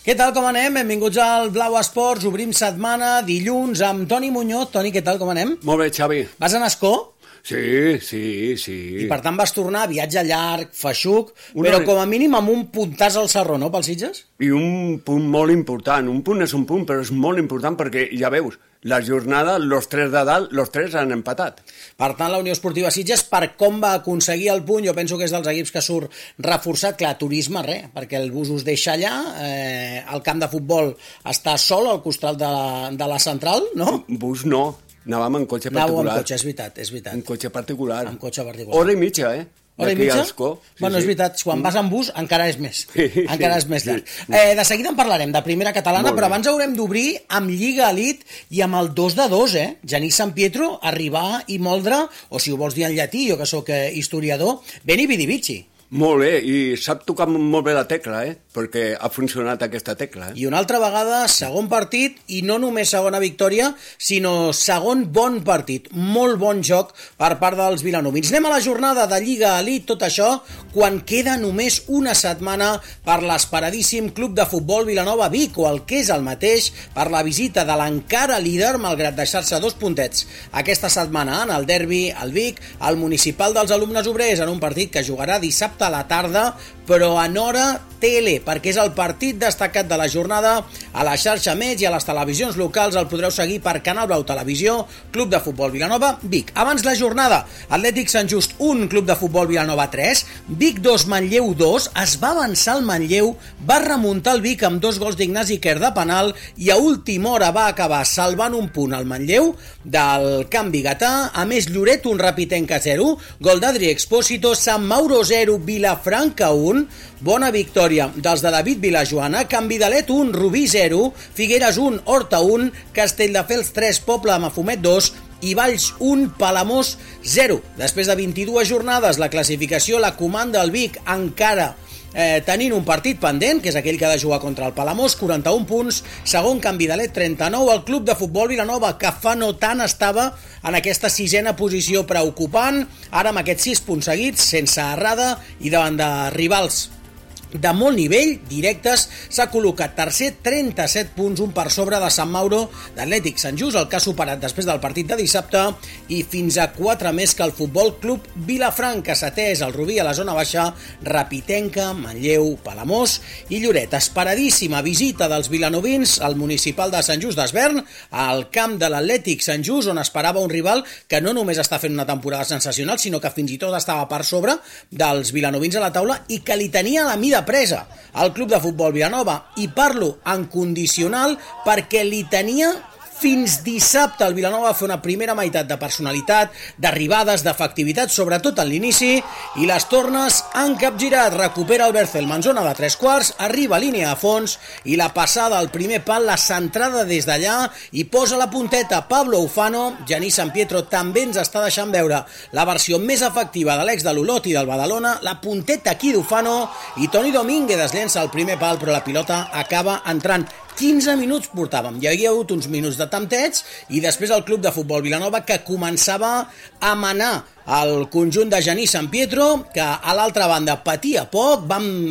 Què tal, com anem? Benvinguts al Blau Esports. Obrim setmana, dilluns, amb Toni Muñoz. Toni, què tal, com anem? Molt bé, Xavi. Vas a Ascó? Sí. I per tant vas tornar, viatge llarg, feixuc, però com a mínim amb un puntàs al Sarró, no, pels Sitges? I un punt molt important. Un punt és un punt, però és molt important perquè, ja veus, la jornada, los tres de dalt, los tres han empatat. Per tant, la Unió Esportiva Sitges, per com va aconseguir el punt, jo penso que és dels equips que surt reforçat. Clar, turisme, res, perquè el bus us deixa allà, el camp de futbol està sol al costat de la central, no? Bus no. Anàvem en cotxe particular. Anàvem en cotxe, és veritat. En cotxe particular. En cotxe particular. Hora i mitja, Hora i mitja? Bueno, és veritat, quan vas amb bus encara és més. Encara és més llarg. De seguida en parlarem, de primera catalana, però abans haurem d'obrir amb Lliga Elite i amb el 2-2, Genís San Pietro, arribar i moldre, o si ho vols dir en llatí, jo que sóc historiador, Beni Vidi Vici. Molt bé, i sap tocar molt bé la tecla, perquè ha funcionat aquesta tecla. I una altra vegada, segon partit, i no només segona victòria, sinó segon bon partit. Molt bon joc per part dels vilanovins. Anem a la jornada de Lliga Elite, tot això, quan queda només una setmana per l'esperadíssim Club de Futbol Vilanova Vic, o el que és el mateix, per la visita de l'encara líder, malgrat deixar-se 2 puntets aquesta setmana en el derbi, al Vic, al municipal dels alumnes obrers, en un partit que jugarà dissabte a la tarda, però en hora tele, perquè és el partit destacat de la jornada. A la xarxa Més i a les televisions locals el podreu seguir per Canal Blau Televisió, Club de Futbol Vilanova Vic. Abans la jornada, Atlètic Sant Just 1, Club de Futbol Vilanova 3, Vic 2, Manlleu 2, es va avançar el Manlleu, va remuntar el Vic amb 2 gols d'Ignasi Quer de penal i a última hora va acabar salvant un punt al Manlleu del camp biguetà. A més, Lloret 1, Rapitenca 0, gol d'Adri Expósito, Sant Mauro 0, Vilafranca 1, bona victòria dels de David Vilajoana, Can Vidalet 1, Rubí 0, Figueres 1, Horta 1, Castelldefels 3, Poble de Mafumet 2 i Valls 1, Palamós 0. Després de 22 jornades, la classificació la comanda el Vic encara tenint un partit pendent, que és aquell que ha de jugar contra el Palamós, 41 punts, segon Can Vidalet 39, el Club de Futbol Vilanova, que fa no tant estava en aquesta sisena posició preocupant, ara amb aquests 6 punts seguits, sense errada i davant de rivals de molt nivell, directes, s'ha col·locat tercer, 37 punts, un per sobre de Sant Mauro, d'Atlètic Sant Just, el que ha superat després del partit de dissabte, i fins a 4 més que el Futbol Club Vilafranca, setè és el Rubí a la zona baixa, Rapitenca, Manlleu, Palamós i Lloret. Esperadíssima visita dels vilanovins al municipal de Sant Just d'Esvern, al camp de l'Atlètic Sant Just, on esperava un rival que no només està fent una temporada sensacional, sinó que fins i tot estava per sobre dels vilanovins a la taula i que li tenia la mida presa al Club de Futbol Vilanova, i parlo en condicional perquè li tenia fins dissabte. El Vilanova va fer una primera meitat de personalitat, d'arribades, d'efectivitat, sobretot en l'inici, i les tornes han capgirat. Recupera el Bercelma en zona de 3/4, arriba a línia de fons i la passada al primer pal, la centrada des d'allà i posa la punteta Pablo Ufano. Genís San Pietro també ens està deixant veure la versió més efectiva de l'ex de l'Olot i del Badalona, la punteta aquí d'Ufano, i Toni Domínguez es llença al primer pal, però la pilota acaba entrant. 15 minuts portàvem, hi havia hagut uns minuts de tempteig i després el Club de Futbol Vilanova que començava a manar el conjunt de Genís San Pietro, que a l'altra banda patia poc. Vam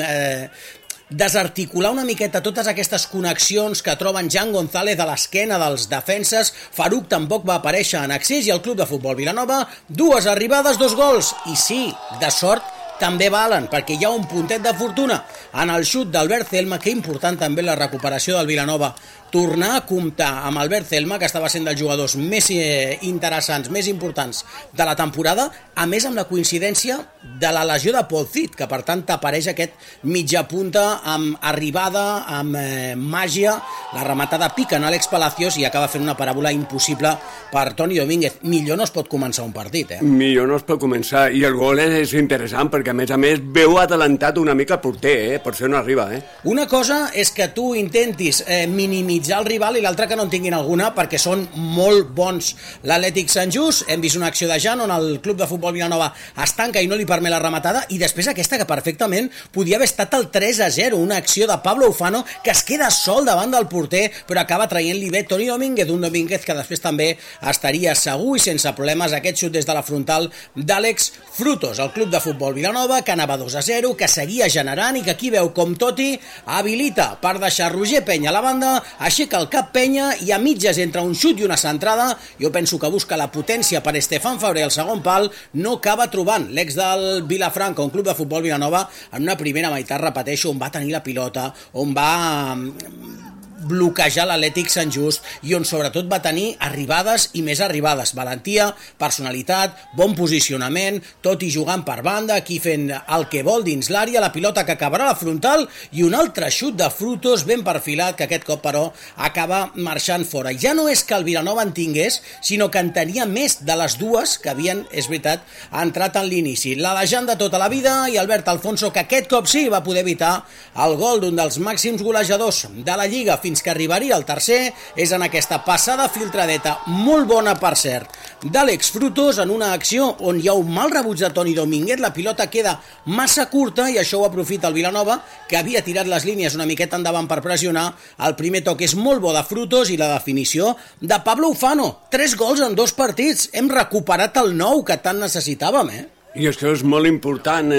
desarticular una miqueta totes aquestes connexions que troben Jan González a l'esquena dels defenses. Faruc tampoc va aparèixer en accés i el Club de Futbol Vilanova, 2 arribades, 2 gols, i sí, de sort també valen, perquè hi ha un puntet de fortuna en el xut d'Albert Celma, que important també la recuperació del Vilanova. Tornar a comptar amb Albert Celma, que estava sent dels jugadors més interessants, més importants de la temporada, a més amb la coincidència de la lesió de Paul Cid, que per tant t'apareix aquest mitja punta amb arribada, amb màgia, la rematada pica en Àlex Palacios i acaba fent una paràbola impossible per Toni Domínguez. Millor no es pot començar un partit, Millor no es pot començar, i el gol és interessant, perquè a més veu atalantat una mica el porter, per això no arriba, Una cosa és que tu intentis minimitzar minimitzar el rival i l'altra que no en tinguin alguna perquè són molt bons. L'Atlètic Sant Just, hem vist una acció de Jan on el club de futbol Vilanova es tanca i no li permet la rematada, i després aquesta que perfectament podia haver estat el 3-0, una acció de Pablo Ufano que es queda sol davant del porter però acaba traient-li bé Toni Domínguez, un Domínguez que després també estaria segur i sense problemes aquest xut des de la frontal d'Àlex Frutos. El club de futbol Vilanova que anava 2-0, que seguia generant i que aquí veu com Totti habilita per deixar Roger Penya a la banda, aixeca el cap Penya i a mitges entre un xut i una centrada, jo penso que busca la potència per Estefan Fabrer al segon pal, no acaba trobant l'ex del Vilafranca, un club de futbol Vilanova en una primera meitat, repeteixo, on va tenir la pilota, on va bloquejar l'Atlètic Sant Just i on sobretot va tenir arribades i més arribades, valentia, personalitat, bon posicionament, tot i jugant per banda, aquí fent el que vol dins l'àrea, la pilota que acabarà a la frontal i un altre xut de Frutos ben perfilat que aquest cop però acaba marxant fora. Ja no és que el Vilanova en tingués, sinó que en tenia més de les dues que havien, és veritat, entrat en l'inici. La llegenda de tota la vida i Albert Alfonso, que aquest cop sí va poder evitar el gol d'un dels màxims golejadors de la Lliga fins que arribaria el tercer, és en aquesta passada filtradeta, molt bona per cert, d'Àlex Frutos en una acció on hi ha un mal rebuig de Toni Domínguez, la pilota queda massa curta i això ho aprofita el Vilanova, que havia tirat les línies una miqueta endavant per pressionar. El primer toc és molt bo de Frutos i la definició de Pablo Ufano. 3 gols en 2 partits, hem recuperat el nou que tant necessitàvem, I això és molt important,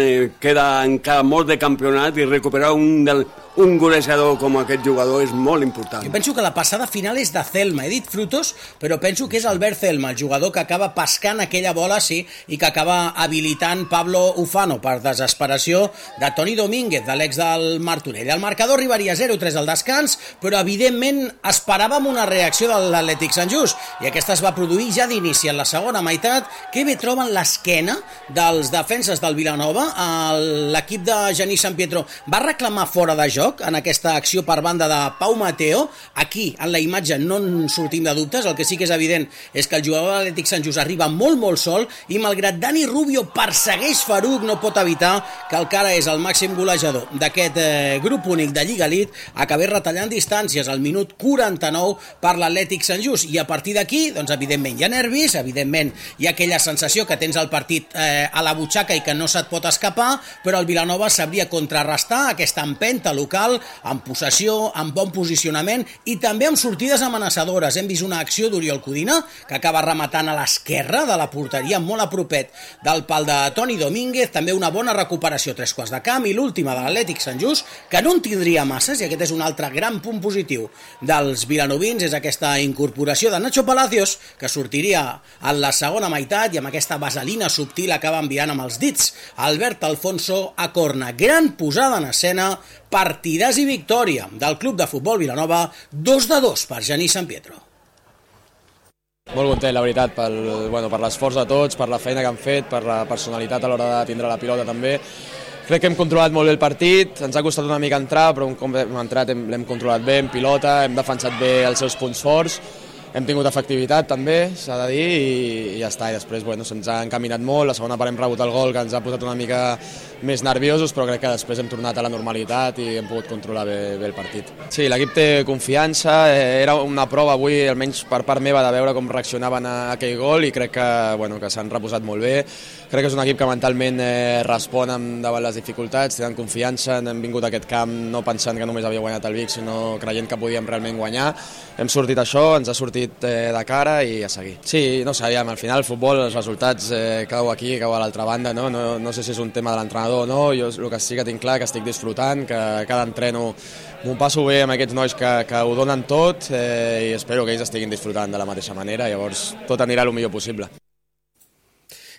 queda encara molt de campionat i recuperar un golejador com aquest jugador és molt important. Jo penso que la passada final és de Celma, he dit Frutos, però penso que és Albert Celma, el jugador que acaba pescant aquella bola, sí, i que acaba habilitant Pablo Ufano per desesperació de Toni Domínguez, de l'ex del Martorell. El marcador arribaria 0-3 al descans, però evidentment esperàvem una reacció de l'Atlètic Sant Just, i aquesta es va produir ja d'inici en la segona meitat, que bé troben l'esquena dels defenses del Vilanova. L'equip de Genís Sant Pietro va reclamar fora de joc en aquesta acció per banda de Pau Mateo. Aquí, en la imatge, no en sortim de dubtes. El que sí que és evident és que el jugador de l'Atlètic Sant Just arriba molt sol i malgrat Dani Rubio persegueix Faruq, no pot evitar que el cara és el màxim golejador d'aquest grup únic de Lliga Elite acabés retallant distàncies al minut 49 per l'Atlètic Sant Just, i a partir d'aquí, doncs evidentment hi ha nervis, evidentment hi ha aquella sensació que tens el partit a la butxaca i que no se't pot escapar, però el Vilanova sabria contrarrestar aquesta empenta local amb possessió, amb bon posicionament i també amb sortides amenaçadores. Hem vist una acció d'Oriol Codina que acaba rematant a l'esquerra de la porteria molt a propet del pal de Toni Domínguez, també una bona recuperació 3 quarts de camp, i l'última de l'Atlètic Sant Just, que no en tindria masses, i aquest és un altre gran punt positiu dels vilanovins, és aquesta incorporació de Nacho Palacios, que sortiria en la segona meitat i amb aquesta vaselina subtil acaba enviant amb els dits Albert Alfonso a corna. Gran posada en escena, partidàs i victòria del club de futbol Vilanova, 2-2 per Genís Sant Pietro. Molt content, la veritat, per l'esforç de tots, per la feina que han fet, per la personalitat a l'hora de tindre la pilota també. Crec que hem controlat molt bé el partit, ens ha costat una mica entrar, però un cop hem entrat l'hem controlat bé en pilota, hem defensat bé els seus punts forts, hem tingut efectivitat també, s'ha de dir, i ja està. I després se'ns ha encaminat molt, la segona part hem rebut el gol que ens ha posat una mica més nerviosos, però crec que després hem tornat a la normalitat i hem pogut controlar bé el partit. Sí, l'equip té confiança, era una prova avui, almenys per part meva, de veure com reaccionaven a aquell gol, i crec que s'han reposat molt bé. Crec que és un equip que mentalment respon davant les dificultats, tenen confiança, hem vingut a aquest camp no pensant que només havia guanyat el Vic, sinó creient que podíem realment guanyar. Hem sortit això, ens ha sortit de cara i a seguir. Sí, no sabíem, al final el futbol, els resultats cau aquí, cau a l'altra banda, no sé si és un tema de l'entrenador o no, jo el que sí que tinc clar que estic disfrutant, que cada entreno m'ho passo bé amb aquests nois que ho donen tot, i espero que ells estiguin disfrutant de la mateixa manera, llavors tot anirà el millor possible.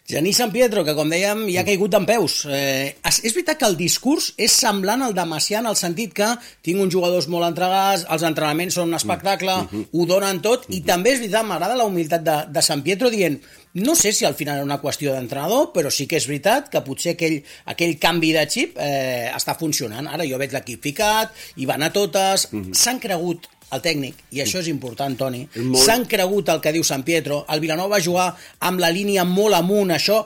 Genís Sant Pietro, que com dèiem ja ha caigut d'en peus. És veritat que el discurs és semblant al de Macià en el sentit que tinc uns jugadors molt entregats, els entrenaments són un espectacle, ho donen tot, i també és veritat, m'agrada la humilitat de Sant Pietro dient, no sé si al final era una qüestió d'entrenador, però sí que és veritat que potser aquell canvi de xip està funcionant. Ara jo veig l'equip ficat, i van a totes, s'han cregut el tècnic, i això és important, Toni, molt... s'han cregut el que diu San Pietro, el Vilanova va jugar amb la línia molt amunt, això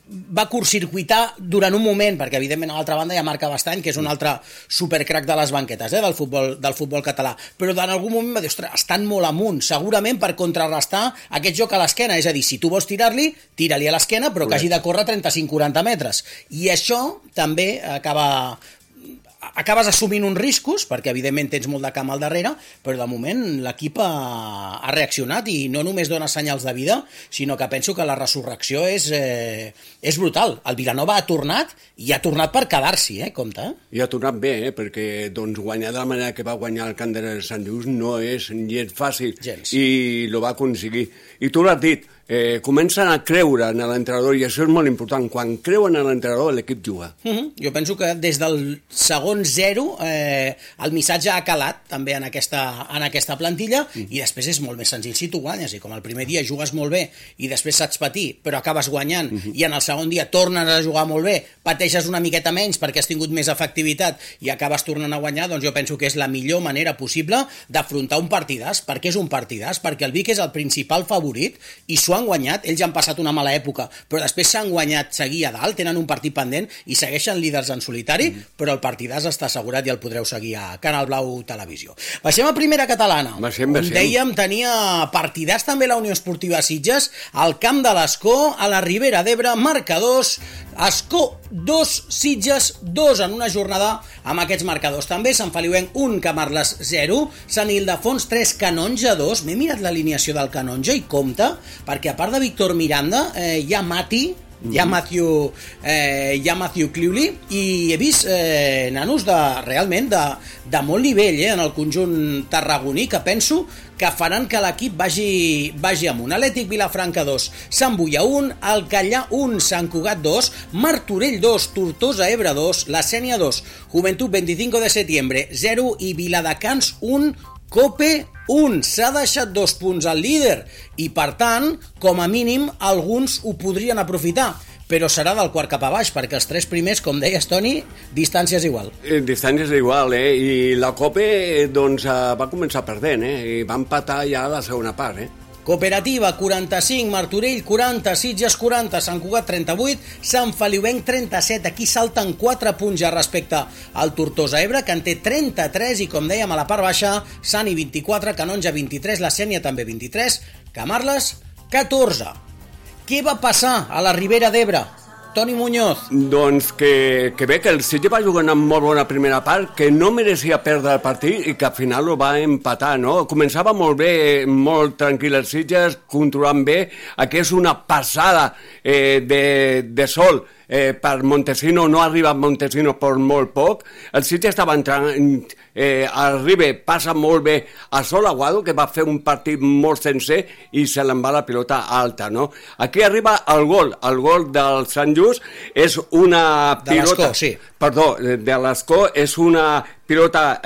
va curtcircuitar durant un moment, perquè evidentment a l'altra banda hi ha Marc Abastany, que és un altre supercrac de les banquetes del futbol català, però en algun moment va dir, ostres, estan molt amunt, segurament per contrarrestar aquest joc a l'esquena, és a dir, si tu vols tirar-li, tira-li a l'esquena, però que hagi de córrer 35-40 metres, i això també acabes assumint uns riscos, perquè evidentment tens molt de camp al darrere, però de moment l'equip ha reaccionat i no només dona senyals de vida, sinó que penso que la resurrecció és brutal. El Vilanova ha tornat i ha tornat per quedar-s'hi, compte. I ha tornat bé, perquè doncs, guanyar de la manera que va guanyar el camp de Sant Just no és gens fàcil. Gens. I lo va aconseguir. I tu l'has dit, comencen a creure en l'entrenador, i això és molt important. Quan creuen en l'entrenador, l'equip juga. Jo penso que des del segon 0 el missatge ha calat també en aquesta plantilla, i després és molt més senzill si tu guanyes, i com el primer dia jugues molt bé i després saps patir, però acabes guanyant, i en el segon dia tornes a jugar molt bé, pateixes una miqueta menys perquè has tingut més efectivitat i acabes tornant a guanyar, doncs jo penso que és la millor manera possible d'afrontar un partidàs. Per què és un partidàs? Perquè el Vic és el principal favorit i s'ho han guanyat, ells han passat una mala època, però després s'han guanyat seguir a dalt, tenen un partit pendent i segueixen líders en solitari, però el partidàs està assegurat i el podreu seguir a Canal Blau Televisió. Baixem a primera catalana. Baixem. On dèiem, tenia partidàs també la Unió Esportiva Sitges, al camp de l'Escó, a la Ribera d'Ebre, marcadors, Escó 2, Sitges 2 en una jornada amb aquests marcadors. També Sant Feliuenc 1, Camarles 0, Sant Ildefons 3, Canonja 2. M'he mirat l'alineació del Canonja i compte, perquè a part de Víctor Miranda hi ha Mati, hi ha Matthew Cliuli, i he vist nanos realment de molt nivell en el conjunt tarragoní, que penso que faran que l'equip vagi amunt. Atlètic Vilafranca 2, Sant Boia 1, Alcallà 1, Sant Cugat 2, Martorell 2, Tortosa Ebre 2, La Sénia 2, Joventut 25 de setembre 0 i Viladecans 1, Cope 1. S'ha deixat 2 punts al líder i, per tant, com a mínim, alguns ho podrien aprofitar. Però serà del quart cap a baix, perquè els 3 primers, com deies, Toni, distància és igual. Distància és igual, i la Cope doncs, va començar perdent, i va empatar ja a la segona part, Cooperativa 45, Martorell 40, Sitges 40, Sant Cugat 38, Sant Feliuenc 37. Aquí salten 4 punts ja respecte al Tortosa Ebre, que en té 33, i com dèiem a la part baixa, Sani 24, Canonja 23, La Sénia també 23, Camarles 14. Què va passar a la Ribera d'Ebre? Toni Muñoz. Doncs que bé, que el Sitges va jugar amb molt bona primera part, que no mereixia perdre el partit i que al final ho va empatar, no? Començava molt bé, molt tranquil el Sitges, controlant bé. Aquí és una passada de sol per Montesino, no ha arribat Montesino per molt poc. El Sitges estava entrant, arriba, passa molt bé a Sol Aguado, que va fer un partit molt sencer i se l'en va la pilota alta, no? Aquí arriba el gol del Sant Just, és una pilota... De l'Escó, sí. Perdó, de l'Escó, és una pilota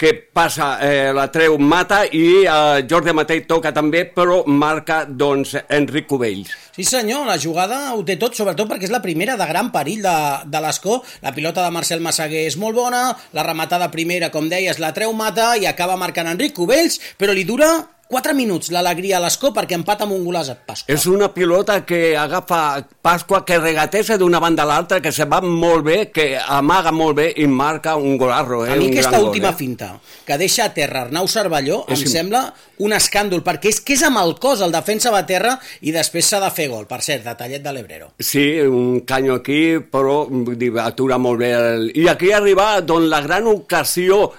que passa, la treu Mata, i Jordi Matei toca també, però marca, doncs, Enric Cubells. Sí senyor, la jugada ho té tot, sobretot perquè és la primera de gran perill de l'Escó. La pilota de Marcel Massaguer és molt bona, la rematada primera, com deies, la treu Mata i acaba marcant Enric Cubells, però li dura 4 minuts l'alegria a l'Escó perquè empata amb un golaç a Pasqua. És una pilota que agafa Pasqua, que regateja d'una banda a l'altra, que se va molt bé, que amaga molt bé i marca un golarro. A mi aquesta última finta, que deixa a terra Arnau Cervelló, em sembla un escàndol, perquè és que és amb el cos, el defensa va a terra i després s'ha de fer gol, per cert, detallet de l'Ebrero. Sí, un canyo aquí, però vull dir, atura molt bé. I aquí arriba doncs, la gran ocasió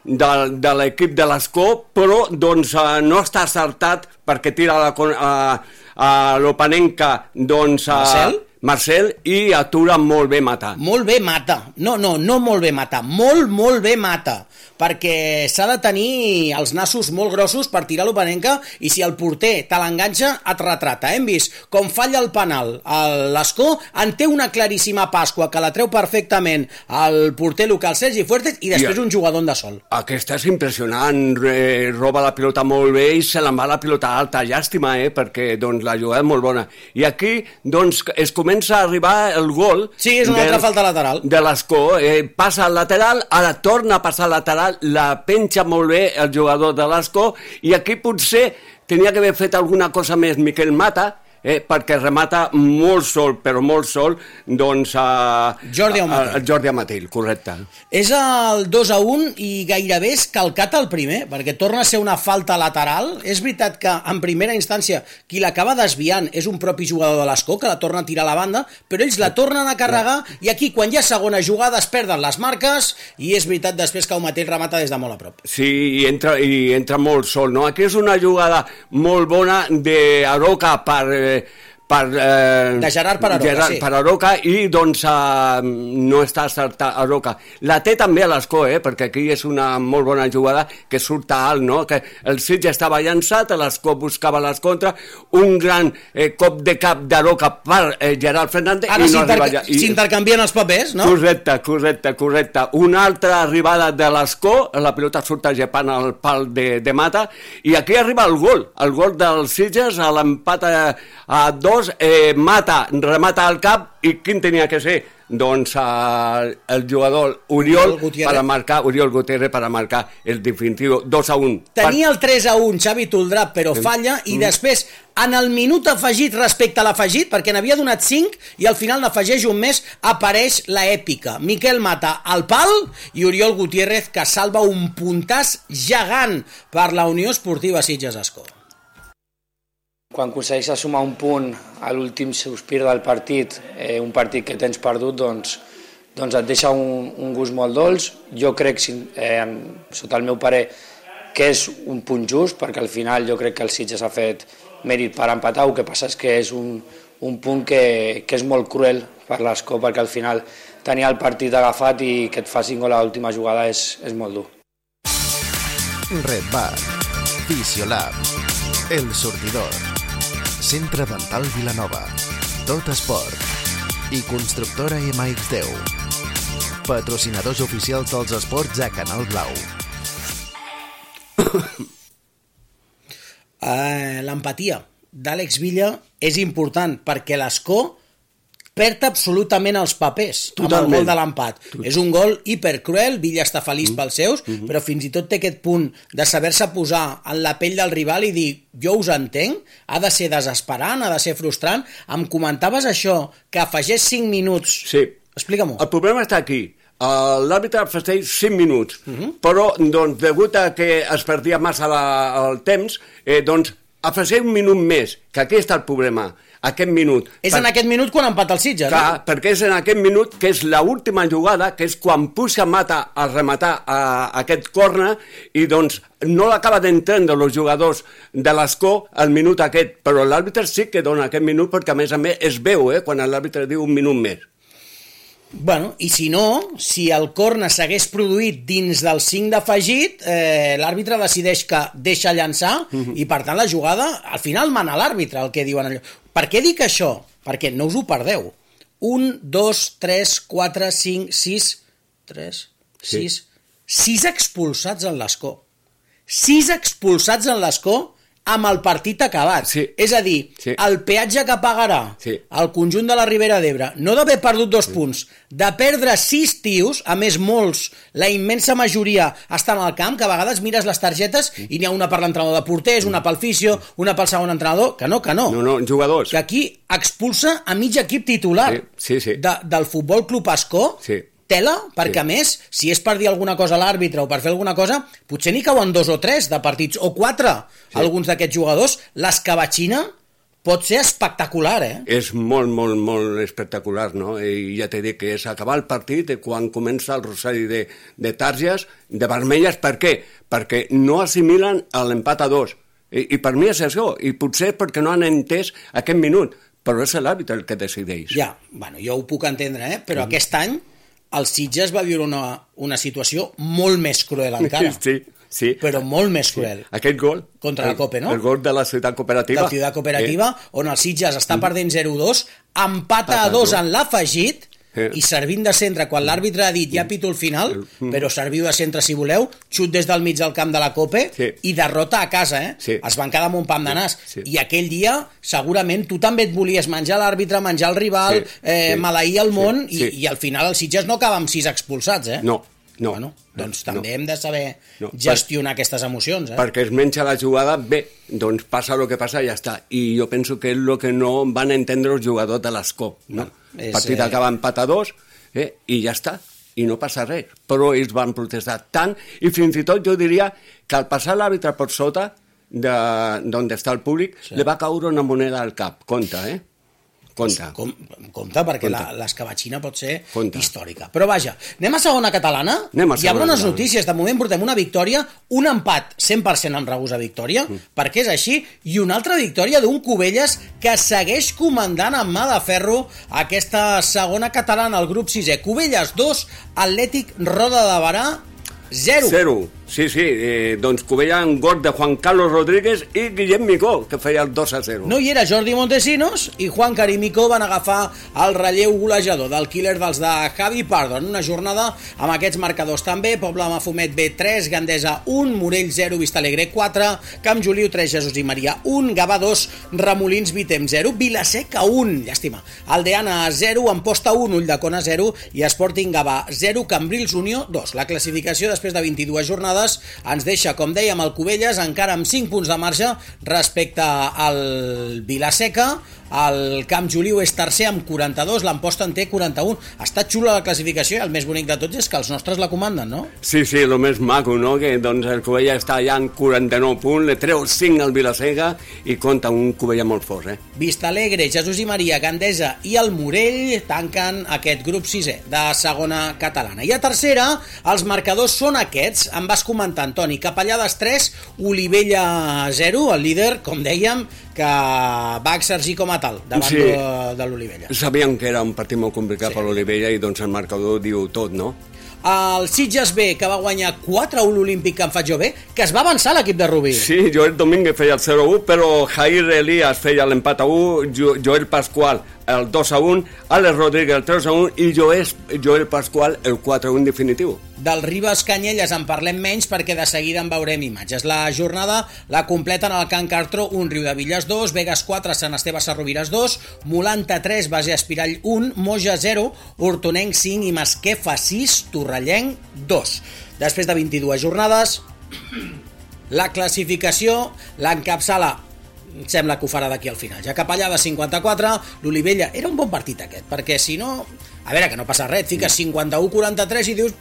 de l'equip de l'Escó, però doncs, no està acertat perquè tira a l'Opanenca doncs, Marcel, i atura molt bé Mata. Molt bé Mata, no molt bé Mata, molt bé Mata, perquè s'ha de tenir els nassos molt grossos per tirar l'Opanenca, i si el porter te l'enganxa et retrata. Hem vist com falla el penal a l'Escó, en té una claríssima Pasqua que la treu perfectament el porter local Sergi Fuertes, i després un jugador de sol. Aquesta és impressionant, roba la pilota molt bé i se l'en va la pilota alta. Llàstima, perquè doncs, la jugada és molt bona. I aquí doncs, es comença comença a arribar el gol... Sí, és una altra falta lateral. De l'Escó, passa al lateral, ara torna a passar al lateral, la penja molt bé el jugador de l'Escó, i aquí potser tenia que haver fet alguna cosa més Miquel Mata, perquè remata molt sol, però molt sol, doncs Jordi Amatil, correcte. És el 2-1 i gairebé és calcat el primer, perquè torna a ser una falta lateral. És veritat que en primera instància qui l'acaba desviant és un propi jugador de l'Escó, que la torna a tirar a la banda, però ells la tornen a carregar, i aquí quan hi ha segona jugada es perden les marques, i és veritat després que Amatil remata des de molt a prop. Sí, i entra molt sol, no? Aquí és una jugada molt bona d'Aroca de Gerard per Aroca, sí. Per Aroca, i doncs no està acertat Aroca. La té també a l'Escó, perquè aquí és una molt bona jugada que surt a alt, no? Que el Sitges estava llançat, l'Escó buscava les contra, un gran cop de cap d'Aroca per Gerard Fernández. Ara s'intercanvien els papers, no? Correcte. Una altra arribada de l'Escó, la pilota surt agepant al pal de Mata, i aquí arriba el gol del Sitges, a l'empat a 2, Mata remata al cap, i quin tenia que ser? Doncs el jugador Oriol Gutiérrez per a marcar el definitiu 2-1. Tenia el 3-1 Xavi Toldrà, però falla, i després en el minut afegit respecte a l'afegit, perquè n'havia donat 5 i al final n'afegeix un més, apareix la èpica. Miquel Mata al pal i Oriol Gutiérrez, que salva un puntàs gegant per la Unió Esportiva Sitges-Escó. Quan aconsegueixes sumar un punt a l'últim sospir del partit, un partit que tens perdut, doncs et deixa un gust molt dolç. Jo crec, sota el meu parer, que és un punt just, perquè al final jo crec que el Sitges ha fet mèrit per empatar. El que passa és que és un punt que és molt cruel per l'Escó, perquè al final tenia el partit agafat i que et facin gol a l'última jugada és molt dur. Red Bar, Fisiolab, El Sortidor, Centre Dental Vilanova, Tot Esport i Constructora MX10. Patrocinadors oficials dels esports a Canal Blau. L'empatia d'Àlex Villa és important, perquè l'Escó perd absolutament els papers amb el gol de l'empat. És un gol hipercruel, Villa està feliç pels seus, però fins i tot té aquest punt de saber-se posar en la pell del rival i dir, jo us entenc, ha de ser desesperant, ha de ser frustrant. Em comentaves això, que afegeix 5 minuts. Sí. Explica-m'ho. El problema està aquí. L'àrbitre afegeix 5 minuts, però doncs, degut a que es perdia massa el temps, doncs afegeix un minut més, que aquí està el problema. Aquest minut. És en aquest minut quan empata el Sitges, no? Perquè és en aquest minut que és l'última jugada, que és quan puja Mata a rematar aquest córner, i doncs no l'acaba d'entendre els jugadors de l'Escó al minut aquest, però l'àrbitre sí que dona aquest minut, perquè a més es veu quan l'àrbitre diu un minut més. Bueno, i si no, si el córner s'hagués produït dins del 5 d'afegit, l'àrbitre decideix que deixa llançar, i per tant la jugada, al final mana l'àrbitre, el que diuen allò. Per què dic això? Perquè no us ho perdeu. 1, 2, 3, 4, 5, 6... 3, 6... 6 expulsats en l'Escó. 6 expulsats en l'Escó amb el partit acabat. Sí. És a dir, el peatge que pagarà el conjunt de la Ribera d'Ebre, no d'haver perdut 2 punts, de perdre 6 tios, a més molts, la immensa majoria estan al camp, que a vegades mires les targetes i n'hi ha una per l'entrenador de porters, una pel fisio, una pel segon entrenador, que no. No, jugadors. Que aquí expulsa a mig equip titular del Futbol Club Escó. Tela, perquè a més, si és per dir alguna cosa a l'àrbitre o per fer alguna cosa, potser n'hi cauen 2 o 3 de partits, o 4, alguns d'aquests jugadors. L'escabatxina pot ser espectacular, És molt espectacular, no? I ja t'he dit que és acabar el partit quan comença el rosari de targes, de vermelles. Per què? Perquè no assimilen l'empat a 2. I per mi és això, i potser perquè no han entès aquest minut, però és l'àrbitre el que decideix. Ja, bueno, jo ho puc entendre, però aquest any el Sitges va viure una situació molt més cruel encara. Sí. Però molt més cruel. Aquest gol. Contra la Cope, no? El gol de la Ciutat Cooperativa. La Ciutat Cooperativa, on el Sitges està perdent 0-2, empata a 2 en l'afegit, i servint de centre, quan l'àrbitre ha dit ja pito el final, però serviu de centre si voleu, xut des del mig del camp de la Cope i derrota a casa, es van quedar amb un pam de nas, i aquell dia segurament tu també et volies menjar l'àrbitre, menjar el rival, maleir el món, i al final el Sitges no acaba amb 6 expulsats, No. Bueno, doncs també hem de saber gestionar aquestes emocions. Perquè es menja la jugada, bé, doncs passa el que passa i ja està. I jo penso que és el que no van entendre els jugadors de l'Escó. El partit acaba empat a 2 i ja està, i no passa res. Però ells van protestar tant, i fins i tot jo diria que al passar l'àrbitre per sota d'on està el públic, li va caure una moneda al cap. Compte, Compte, perquè l'escabatxina pot ser històrica. Però vaja, anem a segona catalana. Hi ha bones notícies. De moment portem una victòria, un empat 100% amb regust a victòria, perquè és així, i una altra victòria d'un Cubelles que segueix comandant amb mà de ferro aquesta segona catalana, el grup 6è. Cubelles 2, Atlètic Roda de Barà 0. Sí, doncs Cubella en gol de Juan Carlos Rodríguez i Guillem Micó, que feia el 2-0. No hi era Jordi Montesinos i Juan Carimicó van agafar el relleu golejador del killer dels de Javi Pardo en una jornada amb aquests marcadors també. Pobla Mafumet B 3, Gandesa 1, Morell 0, Vistalegre 4, Camp Joliu 3, Jesús i Maria 1, Gavà 2, Remolins Vitem 0, Vilaseca 1, llàstima, Aldeana 0, Amposta 1, Ulldecona 0 i Sporting Gavà 0, Cambrils Unió 2. La classificació després de 22 jornades ens deixa, com dèiem, el Cubelles encara amb 5 punts de marge respecte al Vilaseca. El Camp Joliu és tercer amb 42, l'Amposta en té 41. Està xula la classificació i el més bonic de tots és que els nostres la comanden, no? Sí, el més maco, no? Que doncs el Cubelles està allà en 49 punts, le treu 5 al Vilaseca i compta un Cubelles molt fort, Vistalegre, Jesús i Maria, Gandesa i el Morell tanquen aquest grup 6è de segona catalana. I a tercera, els marcadors són aquests. Em vas comentar, Antoni, Capellades 3, Olivella 0, el líder, com dèiem, que va exercir com a tal davant de l'Olivella. Sabíem que era un partit molt complicat per l'Olivella i doncs el marcador diu tot, no? El Sitges B, que va guanyar 4-1 l'Olímpic Can Fatjó B, que es va avançar l'equip de Rubí. Sí, Joel Domínguez feia el 0-1, però Jair Elías feia l'empat a 1, Joel Pascual el 2-1, Alex Rodríguez el 3-1 i Joel Pascual el 4-1 definitiu. Del Ribes Canyelles en parlem menys perquè de seguida en veurem imatges. La jornada la completen el Can Cartró 1, Riudevilles 2, Vegas 4, Sant Esteve Sarrovires 2, Molanta 3, Base Espirall 1, Moja 0, Hortonenc 5 i Masquefa 6, Torrellenc 2. Després de 22 jornades, la classificació l'encapçala, sembla que ho farà d'aquí al final. Ja Capellada 54, l'Olivella era un bon partit aquest, perquè si no, a veure, que no passa res, fiques 51-43 i dius,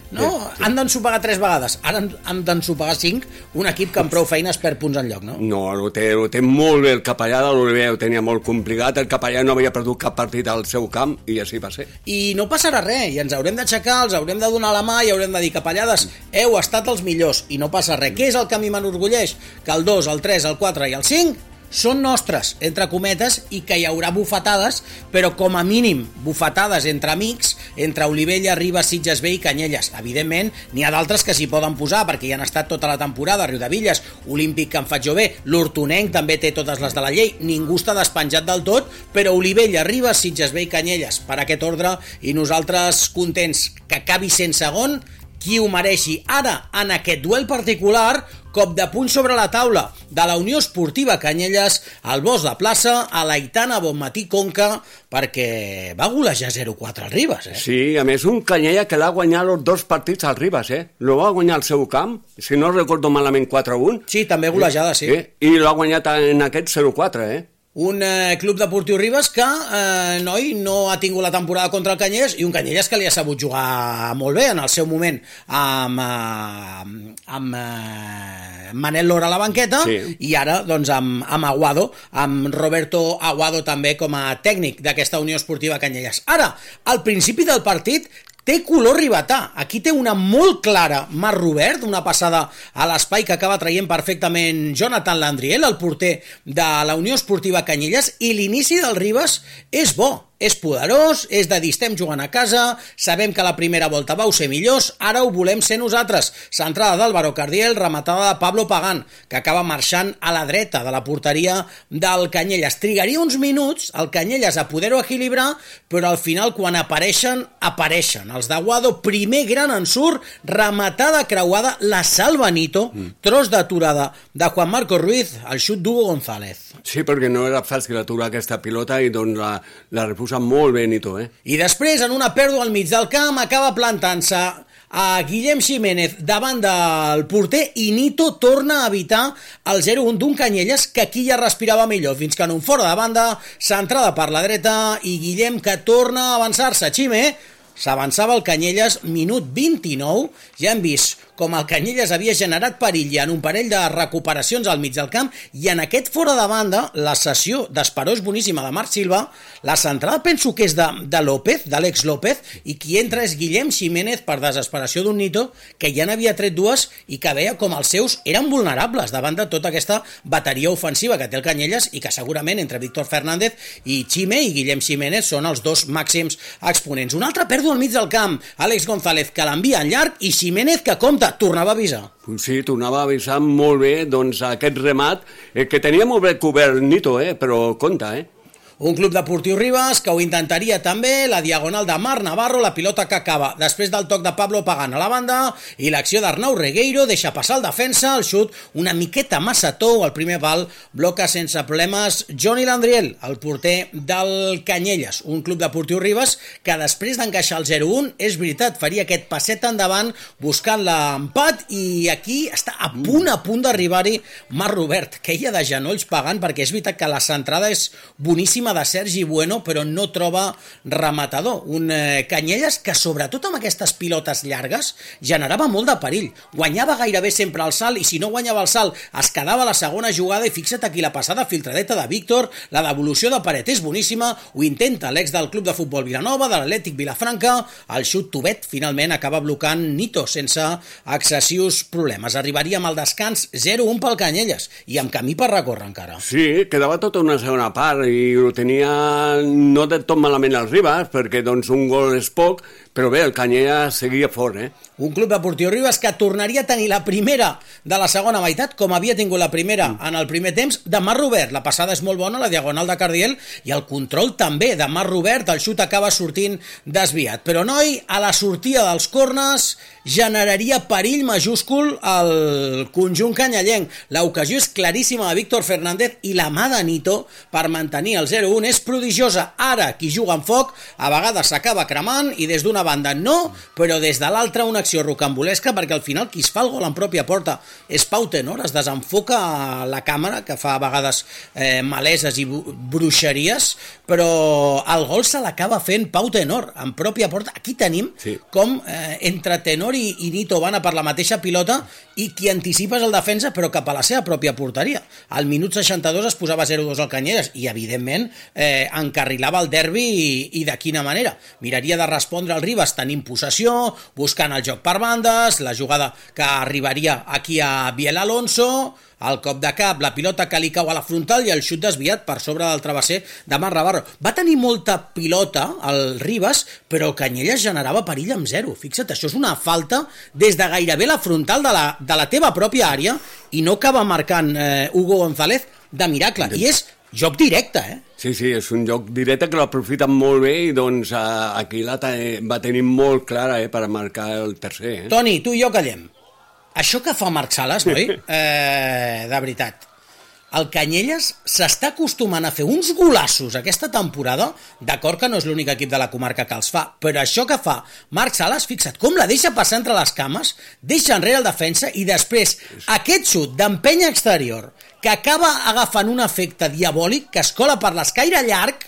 no, han d'ensopegar 3 vegades, ara han d'ensopegar 5, un equip que amb prou feines perd punts enlloc, no? No, ho té molt bé el Capellada, l'Olivella ho tenia molt complicat, el Capellada no havia perdut cap partit al seu camp i així va ser. I no passarà res, i ens haurem d'aixecar, els haurem de donar la mà i haurem de dir, Capellades, heu estat els millors i no passa res. Què és el que a mi m'enorgulleix? Que el 2, el 3, el 4 i el 5 són nostres, entre cometes, i que hi haurà bufetades, però com a mínim bufetades entre amics, entre Olivella, Ribes, Sitges B i Canyelles. Evidentment, n'hi ha d'altres que s'hi poden posar, perquè hi han estat tota la temporada, Riudevilles, Olímpic Can Fatjó B, l'Hortonenc també té totes les de la llei, ningú està despenjat del tot, però Olivella, Ribes, Sitges B i Canyelles, per aquest ordre, i nosaltres contents que acabi sent segon, qui ho mereixi. Ara, en aquest duel particular, cop de puny sobre la taula de la Unió Esportiva Canyelles, al Bosc de Plaça, a l'Aitana Bonmatí Conca, perquè va golejar 0-4 al Ribes, Sí, a més, un Canyella que l'ha guanyat els 2 partits al Ribes, Lo va guanyar al seu camp, si no recordo malament 4-1. Sí, també golejada, sí. I l'ha guanyat en aquest 0-4, Un club deportiu Ribes que, no ha tingut la temporada contra el Canyelles, i un Canyelles que li ha sabut jugar molt bé en el seu moment amb Manel Lora a la banqueta, i ara doncs amb Aguado, amb Roberto Aguado també com a tècnic d'aquesta Unió Esportiva Canyelles. Ara, al principi del partit té color ribetà. Aquí té una molt clara Marc Robert, una passada a l'espai que acaba traient perfectament Jonathan Landriel, el porter de la Unió Esportiva Canyelles, i l'inici del Ribes és bo. és poderós, és de dir estem jugant a casa, sabem que la primera volta vau ser millors, ara ho volem ser nosaltres. Centrada d'Álvaro Cardiel, rematada de Pablo Pagán, que acaba marxant a la dreta de la porteria del Canyelles. Trigaria uns minuts el Canyelles a poder-ho equilibrar, però al final quan apareixen. Els d'Aguado, primer gran ensurt, rematada creuada, la salva Nito, tros d'aturada de Juan Marco Ruiz, el xut d'Hugo González. Sí, perquè no era fàcil aturar aquesta pilota i doncs la refusa molt bé Nito, I després, en una pèrdua al mig del camp, acaba plantant-se a Guillem Ximénez davant del porter i Nito torna a evitar el 0-1 d'un Canyelles que aquí ja respirava millor, fins que en un fora de banda, centrada per la dreta i Guillem que torna a avançar-se. Xime s'avançava el Canyelles, minut 29, ja hem vist com el Canyelles havia generat perill en un parell de recuperacions al mig del camp i en aquest fora de banda, la cessió d'Esperó és boníssima de Marc Silva, la centrada penso que és de López, d'Àlex López, i qui entra és Guillem Ximénez per desesperació d'un Nito que ja n'havia tret dues i que veia com els seus eren vulnerables davant de tota aquesta bateria ofensiva que té el Canyelles i que segurament entre Víctor Fernández i Xime i Guillem Ximénez són els dos màxims exponents. Una altra pèrdua al mig del camp, Àlex González que l'envia en llarg i Ximénez que compta, tornava a avisar. Sí, tornava a avisar molt bé doncs, aquest remat, que tenia molt bé cobert Nito, però compta, Un club deportiu Ribes que ho intentaria també, la diagonal de Marc Navarro, la pilota que acaba després del toc de Pablo Pagán a la banda i l'acció d'Arnau Regueiro deixa passar el defensa, el xut una miqueta massa tou, el primer pal bloca sense problemes Johnny Landriel, el porter del Canyelles, un club deportiu Ribes que després d'encaixar el 0-1, és veritat, faria aquest passet endavant buscant l'empat i aquí està a punt d'arribar-hi Marc Robert, que ella de genolls pagant perquè és veritat que la centrada és boníssima de Sergi Bueno, però no troba rematador. Un Canyelles que, sobretot amb aquestes pilotes llargues, generava molt de perill. Guanyava gairebé sempre el salt i si no guanyava el salt es quedava a la segona jugada i fixa't aquí la passada filtradeta de Víctor, la devolució de Paret és boníssima, ho intenta l'ex del club de futbol Vilanova, de l'Atlètic Vilafranca, el xut Tubet finalment acaba blocant Nito sense excessius problemes. Arribaríem al descans 0-1 pel Canyelles i amb camí per recórrer encara. Sí, quedava tota una segona part i ho tenia no de tot malament els Ribes, perquè doncs un gol és poc, però bé, el Canyelles seguia fort, Un club deportiu Ribes que tornaria a tenir la primera de la segona meitat, com havia tingut la primera en el primer temps, de Marc Robert. La passada és molt bona, la diagonal de Cardiel, i el control també de Marc Robert, el xut acaba sortint desviat. Però noi, a la sortida dels corners, generaria perill majúscul al conjunt canyellenc. L'ocasió és claríssima de Víctor Fernández i la mà de Nito per mantenir el 0-1 és prodigiosa. Ara, qui juga amb foc, a vegades s'acaba cremant i des d'una banda no, però des de l'altra una acció rocambolesca perquè al final qui es fa el gol en pròpia porta és Pau Tenor, es desenfoca la càmera que fa a vegades maleses i bruixeries, però el gol se l'acaba fent Pau Tenor en pròpia porta. Aquí tenim com entre Tenor i Nito van a per la mateixa pilota i qui anticipa és el defensa però cap a la seva pròpia porteria. Al minut 62 es posava 0-2 al Canyelles i evidentment encarrilava el derbi i de quina manera. Miraria de respondre al Ribes tenint possessió, buscant el joc per bandes, la jugada que arribaria aquí a Biel Alonso, el cop de cap, la pilota que li cau a la frontal i el xut desviat per sobre del travesser de Marc Navarro. Va tenir molta pilota el Ribes, però el Canyelles generava perill amb 0. Fixa't, això és una falta des de gairebé la frontal de la teva pròpia àrea i no acaba marcant Hugo González de miracle. I és joc directe, Sí, és un joc directe que l'aprofiten molt bé i doncs aquí va tenir molt clara per marcar el tercer. Toni, tu i jo callem. Això que fa Marc Sales, noi? De veritat. El Canyelles s'està acostumant a fer uns golassos aquesta temporada, d'acord que no és l'únic equip de la comarca que els fa, però això que fa Marc Sales, fixa't com la deixa passar entre les cames, deixa enrere el defensa i després aquest xut d'empenya exterior que acaba agafant un efecte diabòlic que es cola per l'escaire llarg,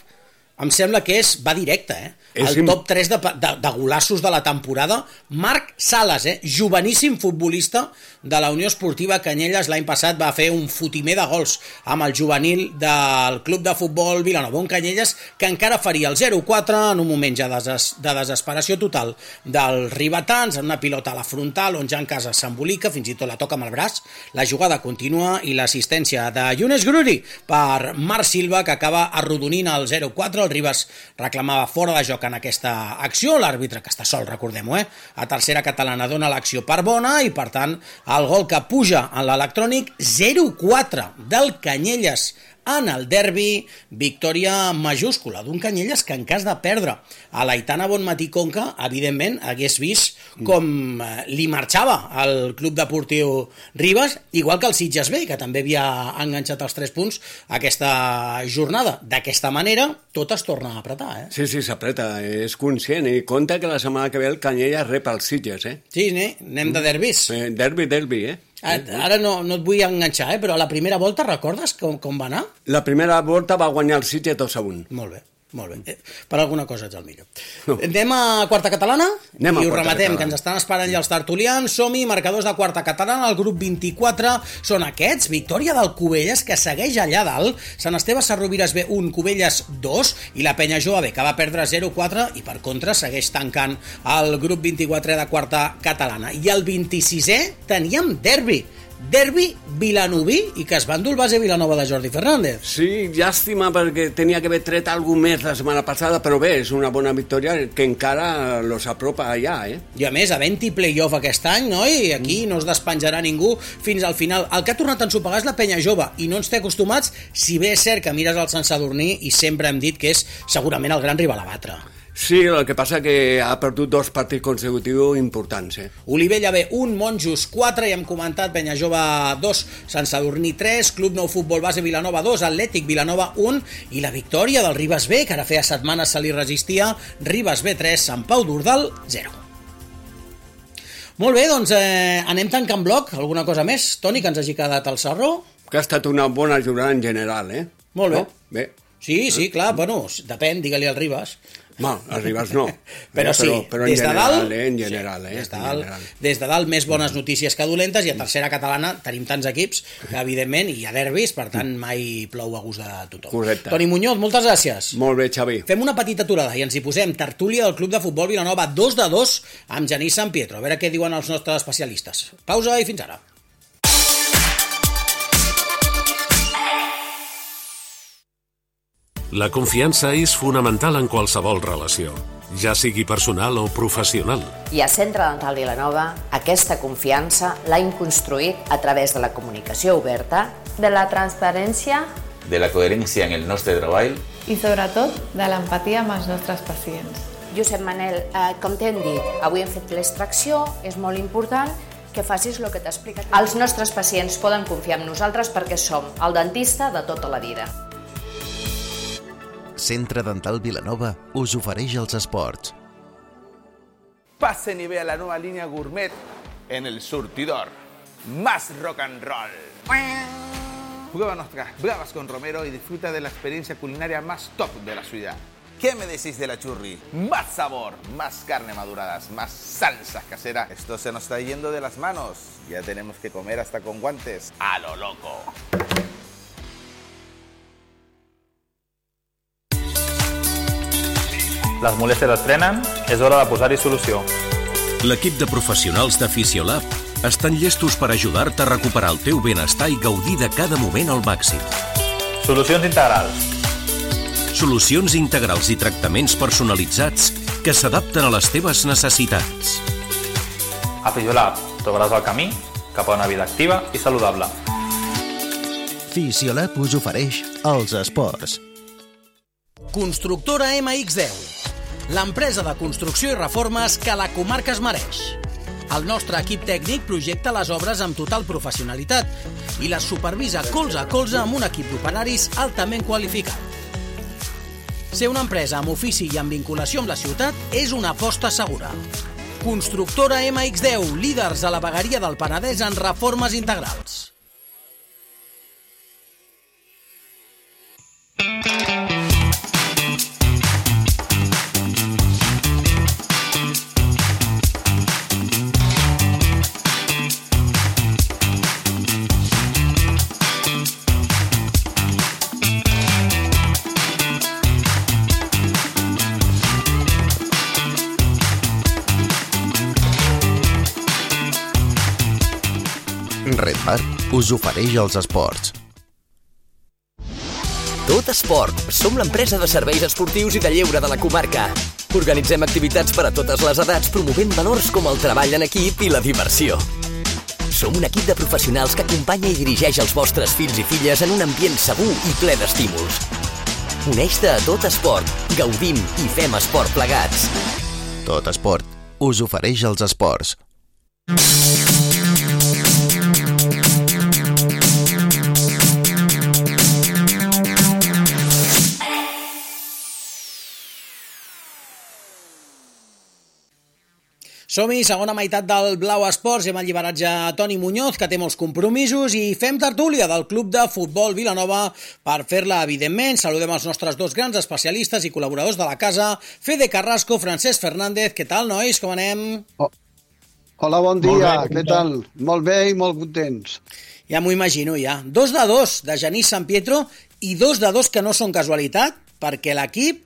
em sembla que va directe, el top 3 de golassos de la temporada. Marc Sales, joveníssim futbolista de la Unió Esportiva Canyelles. L'any passat va fer un fotimer de gols amb el juvenil del Club de Futbol Vilanova. Un Canyelles que encara faria el 0-4 en un moment ja de desesperació total dels ribetans, en una pilota a la frontal on Jan Casas s'embolica, fins i tot la toca amb el braç. La jugada continua i l'assistència de Younes Gruri per Marc Silva, que acaba arrodonint el 0-4. El Ribas reclamava fora de joc en aquesta acció. L'àrbitre, que està sol, recordem-ho, a tercera catalana dona l'acció per bona i, per tant, el gol que puja en l'electrònic. 0-4 del Canyelles en el derbi, victòria majúscula d'un Canyelles que en cas de perdre a l'Aitana Bonmatí Conca, evidentment hagués vist com li marxava al Club Deportiu Ribas, igual que el Sitges B, que també havia enganxat els 3 punts aquesta jornada. D'aquesta manera, tot es torna a apretar. Sí, s'apreta, és conscient, i compta que la setmana que ve el Canyelles rep els Sitges, Sí, anem de derbis. Derbi, Ara no et vull enganxar, però a la primera volta recordes com va anar? La primera volta va guanyar el Sitges 2-1. Molt bé. Per alguna cosa ets el millor. Anem a quarta catalana i ho rematem, que ens estan esperant ja els tertulians. Som-hi, marcadors de quarta catalana. El grup 24 són aquests: victòria del Cubelles, que segueix allà dalt, Sant Esteve Sarrovires B 1, Cubelles 2, i la Penya Jove B, que va perdre 0-4 i per contra segueix tancant el grup 24 de quarta catalana. I el 26è teníem derbi vilanoví, i que es va endur el base Vilanova de Jordi Fernández. Sí, llàstima, perquè tenia que haver tret alguna més la setmana passada, però bé, és una bona victòria que encara los apropa allà, I a més, havent-hi play-off aquest any, no? I aquí no es despenjarà ningú fins al final. El que ha tornat a ensopegar és la Penya Jove, i no ens té acostumats, si bé és cert que mires al Sant Sadurní i sempre hem dit que és segurament el gran rival a batre. Sí, el que passa que ha perdut 2 partits consecutius importants. Olivella B 1, Monjos 4, ja hem comentat, Penya Jove 2, Sant Sadurní 3, Club Nou Futbol Base Vilanova 2, Atlètic Vilanova 1, i la victòria del Ribas B, que ara feia setmanes se li resistia, Ribas B 3, Sant Pau d'Urdal 0. Molt bé, doncs anem tancant bloc. Alguna cosa més, Toni, que ens hagi quedat al sarro? Que ha estat una bona jornada en general, Molt bé. No? Bé. Sí, clar, bueno, depèn, digue-li al Ribas. No, els Ribas no. Però sí, però des de dalt, des de dalt més bones notícies que dolentes, i a tercera catalana tenim tants equips que evidentment hi ha derbis, per tant mai plou a gust de tothom. Correcte. Toni Muñoz, moltes gràcies. Molt bé, Xavi. Fem una petita aturada i ens hi posem. Tertúlia del Club de Futbol Vilanova 2-2 amb Genís San Pietro. A veure què diuen els nostres especialistes. Pausa i fins ara. La confiança és fonamental en qualsevol relació, ja sigui personal o professional. I a Centre Dental Vilanova aquesta confiança l'hem construït a través de la comunicació oberta, de la transparència, de la coherència en el nostre treball i sobretot de l'empatia amb els nostres pacients. Josep Manel, com t'hem dit, avui hem fet l'extracció, és molt important que facis el que t'ha explicat. Els nostres pacients poden confiar en nosaltres perquè som el dentista de tota la vida. Centre Dental Vilanova us ofereix els esports. Pasen y vea la nueva línea gourmet en El Surtidor. Más rock and roll. Prueba nuestras bravas con Romero y disfruta de la experiencia culinaria más top de la ciudad. ¿Qué me decís de la churri? Más sabor, más carne maduradas, más salsas caseras. Esto se nos está yendo de las manos. Ya tenemos que comer hasta con guantes. A lo loco. Les molèsties es frenen, és hora de posar-hi solució. L'equip de professionals de Fisiolab estan llestos per ajudar-te a recuperar el teu benestar i gaudir de cada moment al màxim. Solucions integrals. Solucions integrals i tractaments personalitzats que s'adapten a les teves necessitats. A Fisiolab trobaràs el camí cap a una vida activa i saludable. Fisiolab us ofereix els esports. Constructora MX10, l'empresa de construcció i reformes que la comarca es mereix. El nostre equip tècnic projecta les obres amb total professionalitat i les supervisa colze a colze amb un equip d'operaris altament qualificat. Ser una empresa amb ofici i amb vinculació amb la ciutat és una aposta segura. Constructora MX10, líders a la vegueria del Penedès en reformes integrals. Bar us ofereix els esports. Tot Esport. Som l'empresa de serveis esportius i de lleure de la comarca. Organitzem activitats per a totes les edats, promovent valors com el treball en equip i la diversió. Som un equip de professionals que acompanya i dirigeix els vostres fills i filles en un ambient segur i ple d'estímuls. Uneix-te a Tot Esport. Gaudim i fem esport plegats. Tot Esport us ofereix els esports. Som-hi, segona meitat del Blau Esports. Hem alliberat ja Toni Muñoz, que té molts compromisos, i fem tertúlia del Club de Futbol Vilanova per fer-la, evidentment. Saludem els nostres dos grans especialistes i col·laboradors de la casa, Fede Carrasco, Francesc Fernández. Què tal, nois? Com anem? Hola, bon dia. Què tal? Molt bé i molt contents. Ja m'ho imagino, ja. 2-2 de Genís San Pietro i 2-2 que no són casualitat, perquè l'equip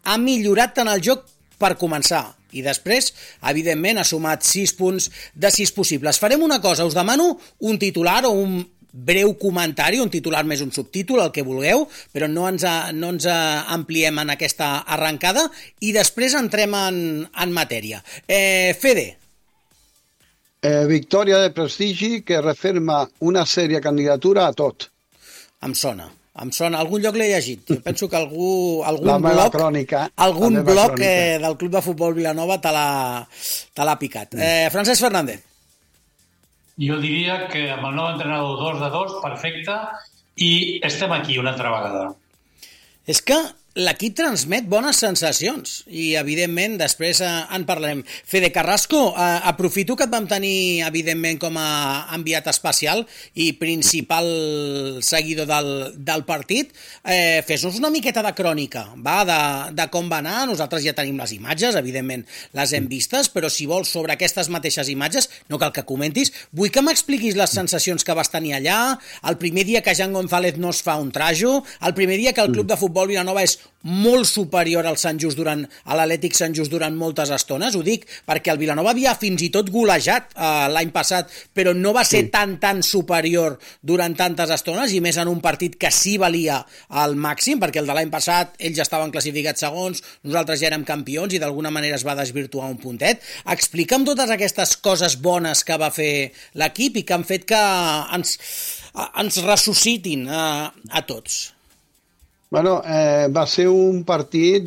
ha millorat tant el joc per començar. I després, evidentment, ha sumat 6 punts de 6 possibles. Farem una cosa, us demano un titular o un breu comentari, un titular més un subtítol, el que vulgueu, però no ens ampliem en aquesta arrencada i després entrem en matèria. Fede. Victòria de prestigi que referma una sèria candidatura a tot. Em sona, algun lloc l'he llegit. Jo penso que algun bloc del Club de Futbol Vilanova te l'ha picat. Francesc Fernández. Jo diria que amb el nou entrenador 2-2, perfecte, i estem aquí una altra vegada. És que l'equip transmet bones sensacions i, evidentment, després en parlarem. Fede Carrasco, aprofito que et vam tenir, evidentment, com a enviat especial i principal seguidor del partit. Fes-nos una miqueta de crònica, de com va anar. Nosaltres ja tenim les imatges, evidentment, les hem vistes, però si vols, sobre aquestes mateixes imatges, no cal que comentis. Vull que m'expliquis les sensacions que vas tenir allà, el primer dia que Jan González no es fa un trajo, el primer dia que el Club de Futbol Vilanova és molt superior al l'Atlètic Sant Just durant moltes estones. Ho dic perquè el Vilanova havia fins i tot golejat l'any passat, però no va ser tan superior durant tantes estones, i més en un partit que sí valia al màxim, perquè el de l'any passat ells ja estaven classificats segons, nosaltres ja érem campions i d'alguna manera es va desvirtuar un puntet. Explica'm totes aquestes coses bones que va fer l'equip i que han fet que ens ressuscitin a tots. Bueno, va ser un partit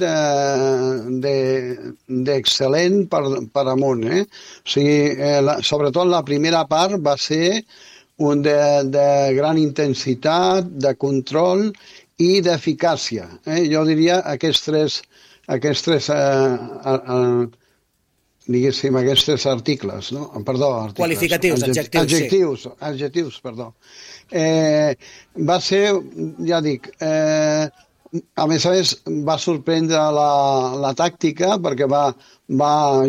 d'excel·lent per amunt. O sigui, sobretot la primera part va ser un de gran intensitat, de control i d'eficàcia. Jo diria aquests tres articles, no? Perdó, articles. Qualificatius, adjectius, perdó. Va ser, ja dic, a més va sorprendre la tàctica perquè va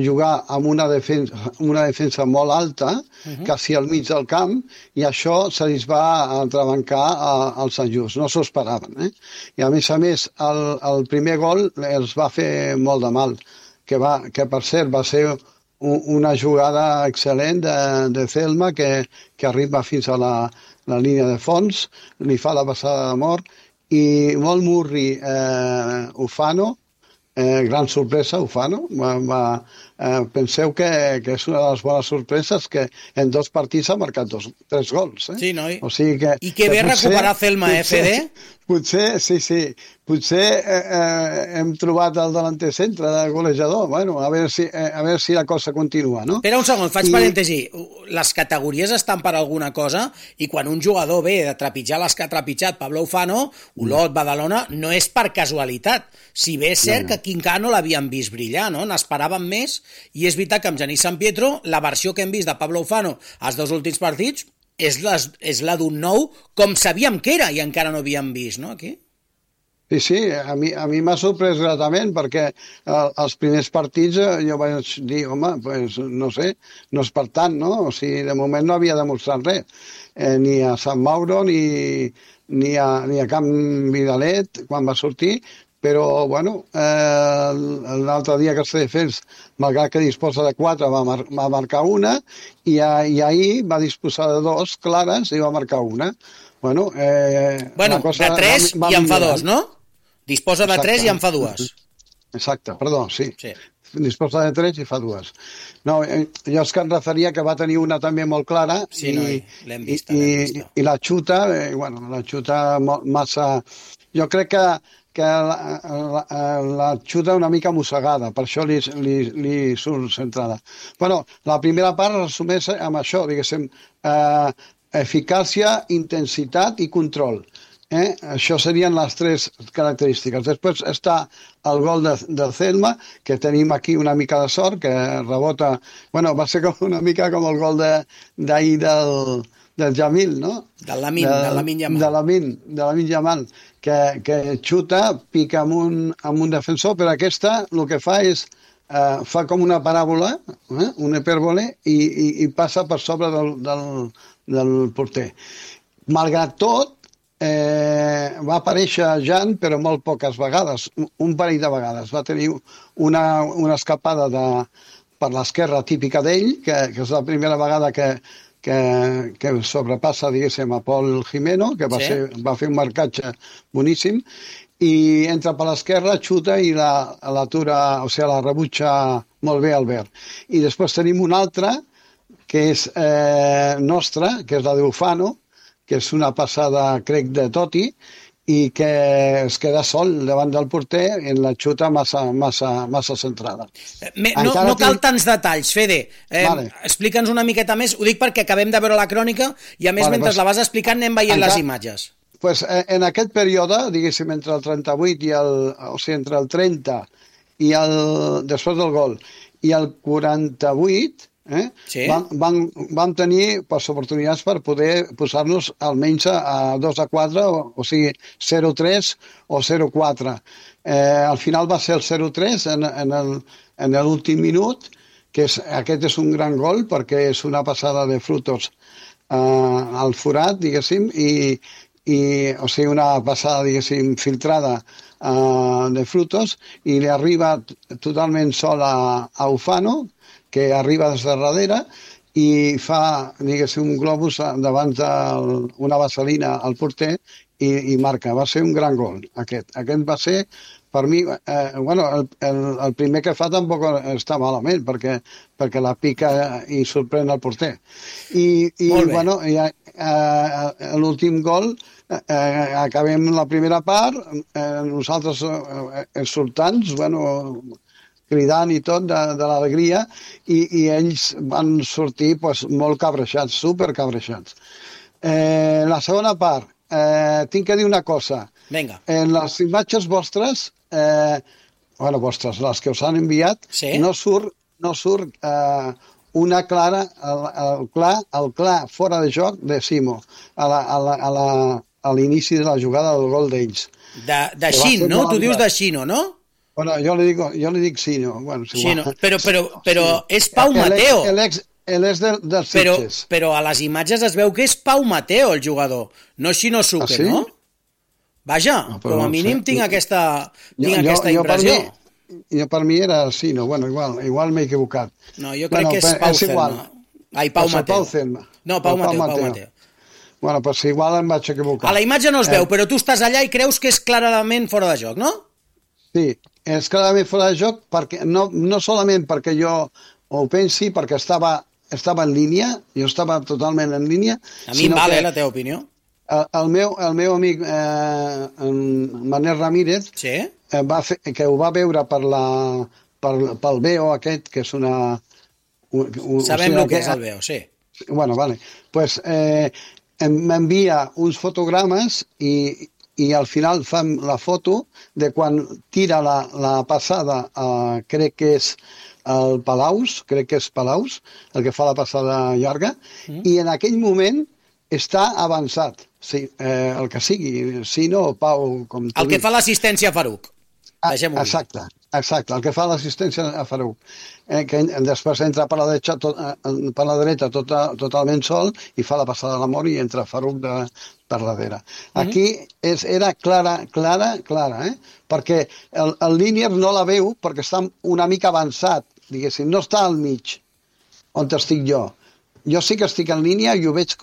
jugar amb una defensa molt alta, quasi al mig del camp, i això se li va entrebancar al Sant Just. No s'ho esperaven. I a més, el primer gol els va fer molt de mal, que per cert va ser una jugada excel·lent de Celma que arriba fins a la línia de fons, li fa la passada de mort, i molt murri Ufano, gran sorpresa Ufano, penseu que és una de les bones sorpreses que en 2 partits ha marcat 3 gols. Sí, noi? O sigui que, i que bé recuperar Celma, Fede? Potser hem trobat el delanter centre de golejador. Bueno, a veure si la cosa continua, no? Espera un segon, faig parèntesi. Les categories estan per alguna cosa i quan un jugador ve de trepitjar les que ha trepitjat Pablo Ufano, Olot, Badalona, no és per casualitat. Si bé és cert que aquí encara no l'havien vist brillar, no? N'esperaven més, i és veritat que amb Genís San Pietro la versió que hem vist de Pablo Ufano als 2 últims partits és la d'un nou com sabíem que era i encara no havíem vist, no, aquí? Sí, a mi m'ha sorprès gratament perquè els primers partits jo vaig dir, home, pues, no sé, no és per tant, no? O sigui, de moment no havia demostrat res, ni a Sant Mauro ni a Camp Vidalet quan va sortir, però, bueno, l'altre dia que està defens, malgrat que disposa de 4, va marcar una, i ahir va disposar de 2 clares i va marcar una. Bueno, de 3 i en fa 2, no? Disposa de 3 i en fa 2. Exacte, perdó, sí. Disposa de 3 i fa 2. No, jo és que em referia que va tenir una també molt clara l'hem vista. I la xuta, la xuta massa... Jo crec que la xuta una mica mossegada, per això li surt centrada. Bueno, la primera part resumeix amb això, diguéssim, eficàcia, intensitat i control. Això serien les 3 característiques. Després està el gol de Zelma, que tenim aquí una mica de sort, que rebota... Bueno, va ser una mica com el gol d'ahir del Jamil, no? De Lamine Yamal, que xuta, pica amb un defensor, però aquesta el que fa és fa com una paràbola, una hipèrbole, i passa per sobre del porter. Malgrat tot, va aparèixer Jan, però molt poques vegades, un parell de vegades. Va tenir una escapada per l'esquerra típica d'ell, que és la primera vegada que sobrepassa, diguéssim, a Pol Jimeno, que va fer un marcatge boníssim, i entra per l'esquerra, xuta i l'atura, o sigui, la rebutja molt bé Albert. I després tenim una altra, que és nostra, que és la d'Ufano, que és una passada, crec, de Totti, i que es queda sol davant del porter en la xuta massa centrada. No cal tants detalls, Fede. Explica'ns una miqueta més. Ho dic perquè acabem de veure la crònica i, a més, mentre la vas explicant anem veient les imatges. En aquest període, diguéssim, entre el 38 o sigui, entre el 30 i després del gol i el 48, vam tenir oportunitats per poder posar-nos almenys a 2-4, o sigui 0-3 o 0-4. Al final va ser el 0-3 en l'últim minut, que aquest és un gran gol perquè és una passada de Frutos al forat, diguéssim, o sigui, una passada, diguéssim, filtrada de Frutos, i li arriba totalment sol a Ufano, que arriba des de darrere i fa, diguéssim, un globus davant d'una vaselina al porter i marca. Va ser un gran gol, aquest. Aquest va ser, per mi, el primer que fa tampoc està malament, perquè la pica i sorprèn el porter. I l'últim gol, acabem la primera part, nosaltres exultants, cridant i tot de l'alegria, i ells van sortir molt cabreixats, supercabreixats. La segona part, tinc que dir una cosa. Vinga. En les imatges vostres, les que us han enviat, no surt una clara, el clar fora de joc de Simo, a l'inici de la jugada del gol d'ells. De Xin, no? Tu dius de Xino, no? Bueno, jo li dic Sino. Però és Pau Mateo. És dels Sitges. Però a les imatges es veu que és Pau Mateo, el jugador, no Shinosuke, no? Vaja, com a mínim tinc aquesta impressió. Jo per mi era Sino, igual m'he equivocat. No, jo crec que és Pau Selma. Ai, Pau Mateo. No, Pau Mateo. Bueno, pues igual em vaig equivocar. A la imatge no es veu, però tu estàs allà i creus que és clarament fora de joc, no? Sí, és clarament fora de joc, perquè no solament perquè jo ho pensi, perquè estava en línia, jo estava totalment en línia. A mi em vale la teva opinió. El meu amic Manel Ramírez, que ho va veure pel BEO aquest, que és una... Sabem el que és el BEO, sí. Bueno, vale. Pues m'envia uns fotogrames i al final fem la foto de quan tira la passada, crec que és el Palaus, el que fa la passada llarga, i en aquell moment està avançat, el que sigui, Sino o Pau, com tu el que fa l'assistència a Faruq. Exacte. Exacte, el que fa l'assistència a Farouk, que després entra per la dreta totalment sol i fa la passada de l'amor i entra Farouk per darrere. Aquí era clara, perquè el línier no la veu perquè està una mica avançat, diguéssim, no està al mig, on estic jo. Jo sí que estic en línia i ho veig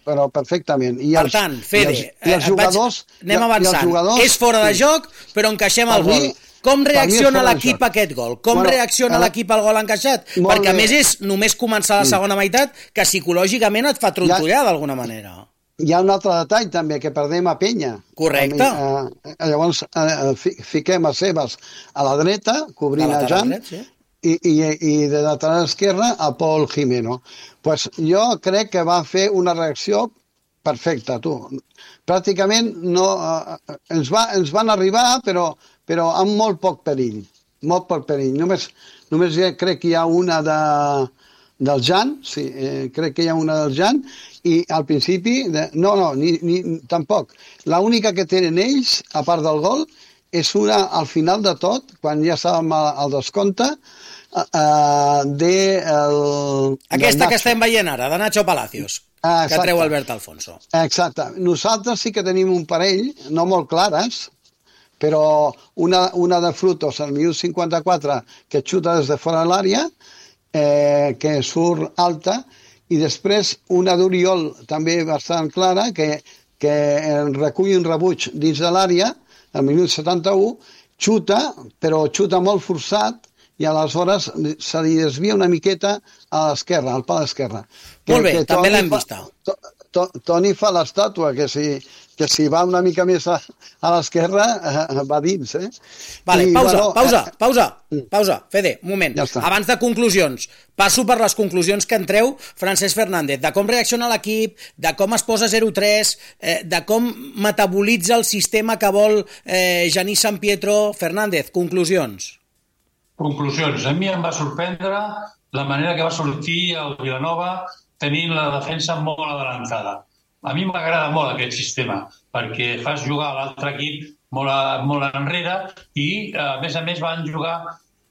però perfectament. Per tant, Fede, anem avançant. És fora de joc, però encaixem el gol. Com reacciona l'equip a aquest gol? Com reacciona l'equip al gol encaixat? Perquè a més és només començar la segona meitat que psicològicament et fa trontollar d'alguna manera. Hi ha un altre detall també, que perdem a Penya. Correcte. Llavors fiquem a Sebas a la dreta, cobrint a Jan, i de lateral esquerra a Pol Jimeno. Pues jo crec que va fer una reacció perfecta, tu. Pràcticament ens van arribar, però amb molt poc perill. Molt poc perill. Només crec que hi ha una del Jan, sí, crec que hi ha una del Jan, i al principi, tampoc. L'única que tenen ells, a part del gol, és una al final de tot, quan ja estàvem al descompte, aquesta que estem veient ara, de Nacho Palacios, que treu Albert Alfonso. Exacte. Nosaltres sí que tenim un parell, no molt clares, però una de Frutos al minut 54 que xuta des de fora de l'àrea, que surt alta, i després una d'Oriol també bastant clara, que recull un rebuig dins de l'àrea, al minut 71, xuta, però xuta molt forçat, i aleshores se li desvia una miqueta a l'esquerra, al pal esquerre. Molt bé, també l'hem vista. Toni fa l'estàtua, que si va una mica més a l'esquerra, va dins, eh? Vale, pausa, Fede, un moment. Abans de conclusions, passo per les conclusions que en treu Francesc Fernández, de com reacciona l'equip, de com es posa 0-3, de com metabolitza el sistema que vol Genís San Pietro. Fernández, conclusions. Conclusions. A mi em va sorprendre la manera que va sortir el Vilanova tenint la defensa molt adelantada. A mi m'agrada molt aquest sistema, perquè fas jugar l'altre equip molt enrere i, a més, van jugar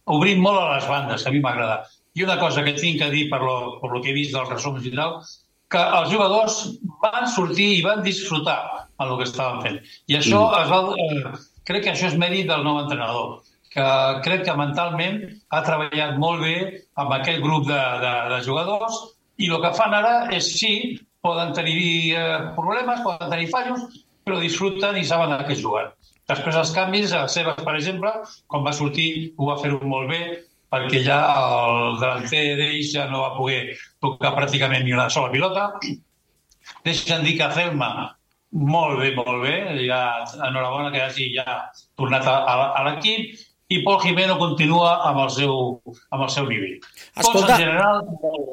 obrint molt a les bandes, que a mi m'agrada. I una cosa que tinc a dir per lo que he vist dels resums i tal, que els jugadors van sortir i van disfrutar en el que estaven fent. I això crec que això és mèrit del nou entrenador, que crec que mentalment ha treballat molt bé amb aquell grup de jugadors i el que fan ara és, sí, poden tenir problemes, poden tenir fallos, però disfruten i saben a què juguen. Després els canvis, a Sebas, per exemple, quan va sortir ho va fer molt bé, perquè ja el delanter d'ells ja no va poder tocar pràcticament ni una sola pilota. Deixen dir que Celma, molt bé, ja enhorabona que hagi ja tornat a l'equip, i Pol Jimeno continua amb el seu nivell. Tots en general,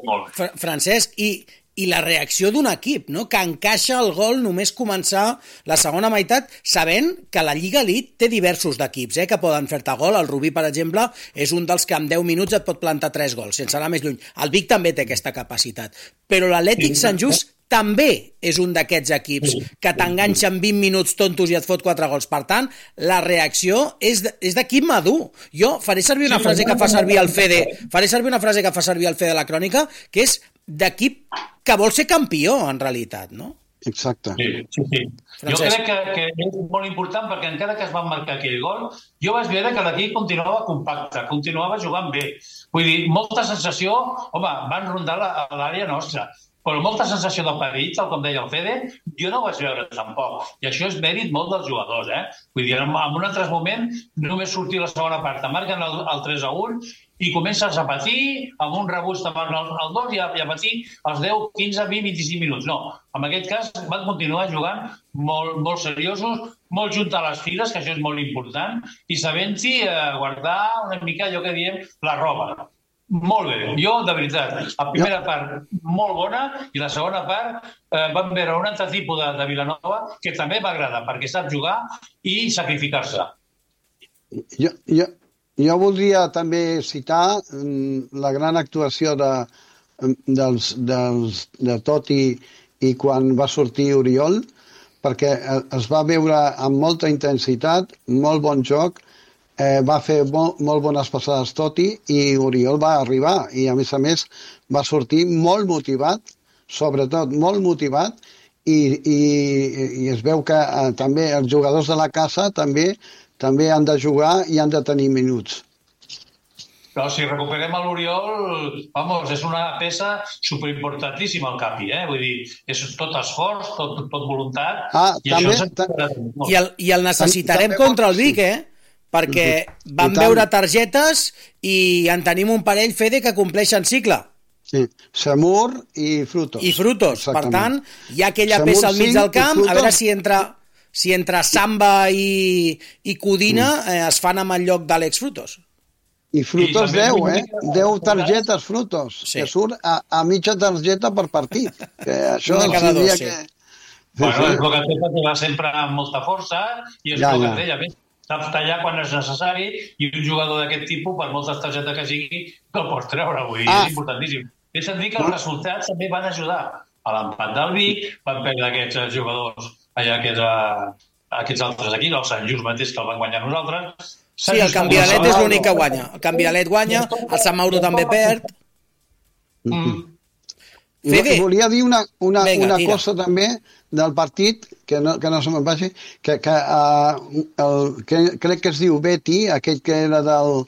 molt bé. Francesc, i la reacció d'un equip, no? Que encaixa el gol només començar la segona meitat, sabent que la Lliga Elite té diversos d'equips que poden fer-te gol. El Rubí, per exemple, és un dels que en 10 minuts et pot plantar 3 gols, sense anar més lluny. El Vic també té aquesta capacitat. Però l'Atlètic Sant Just també és un d'aquests equips que t'enganxa en 20 minuts tontos i et fot 4 gols. Per tant, la reacció és d'equip madur. Jo faré servir una frase que fa servir el Fede, de la crònica, que és d'equip que vol ser campió, en realitat, no? Exacte. Sí. Jo crec que és molt important perquè encara que es van marcar aquell gol, jo vaig veure que l'equip continuava compacte, continuava jugant bé. Vull dir, molta sensació, van rondar l'àrea nostra, però molta sensació de perill, tal com deia el Fede, jo no ho vaig veure tampoc. I això és mèrit molt dels jugadors, Vull dir, en un altre moment, només sortir la segona part, marquen el 3-1 i comences a patir, amb un rebuig te marquen el 2 i a patir els 10, 15, 20, 25 minuts. No, en aquest cas van continuar jugant molt seriosos, molt junt a les files, que això és molt important, i sabent-hi guardar una mica allò que diem la roba. Molt bé. Jo, de veritat, la primera part molt bona i la segona part vam veure un altre tipus de Vilanova que també m'agrada perquè sap jugar i sacrificar-se. Jo voldria també citar la gran actuació de Totti i quan va sortir Oriol, perquè es va veure amb molta intensitat, molt bon joc, va fer molt bones passades Totti i Oriol va arribar i a més va sortir molt motivat, sobretot molt motivat i es veu que també els jugadors de la casa també han de jugar i han de tenir minuts. Però si recuperem l'Oriol, és una peça superimportantíssima al Capi, vull dir, és tot esforç, tot voluntat, i el necessitarem contra el Vic, perquè vam veure targetes i en tenim un parell, Fede, que compleixen cicle. Sí, Samur i Frutos. I Frutos, per tant, hi ha aquella peça al mig del camp, a veure si entre Samba i Codina es fan amb el lloc d'Àlex Frutos. I Frutos 10, 10 targetes Frutos, que surt a mitja targeta per partit. Això diria que... Bueno, és el que té perquè va sempre amb molta força i és el que té, a més, sap tallar quan és necessari i un jugador d'aquest tipus, per moltes targetes que sigui, no el pots treure, vull dir, és importantíssim. Deixa'm dir que els resultats també van ajudar a l'empat del Vic, van perdre aquests jugadors allà, aquests altres aquí, el Sant Just mateix que el van guanyar nosaltres. Sí, el Canvialet és l'únic que guanya. El Canvialet guanya, el Sant Mauro també perd. Volia dir una cosa també del partit, que no se me'n vagi, que crec que es diu Betty, aquell que era del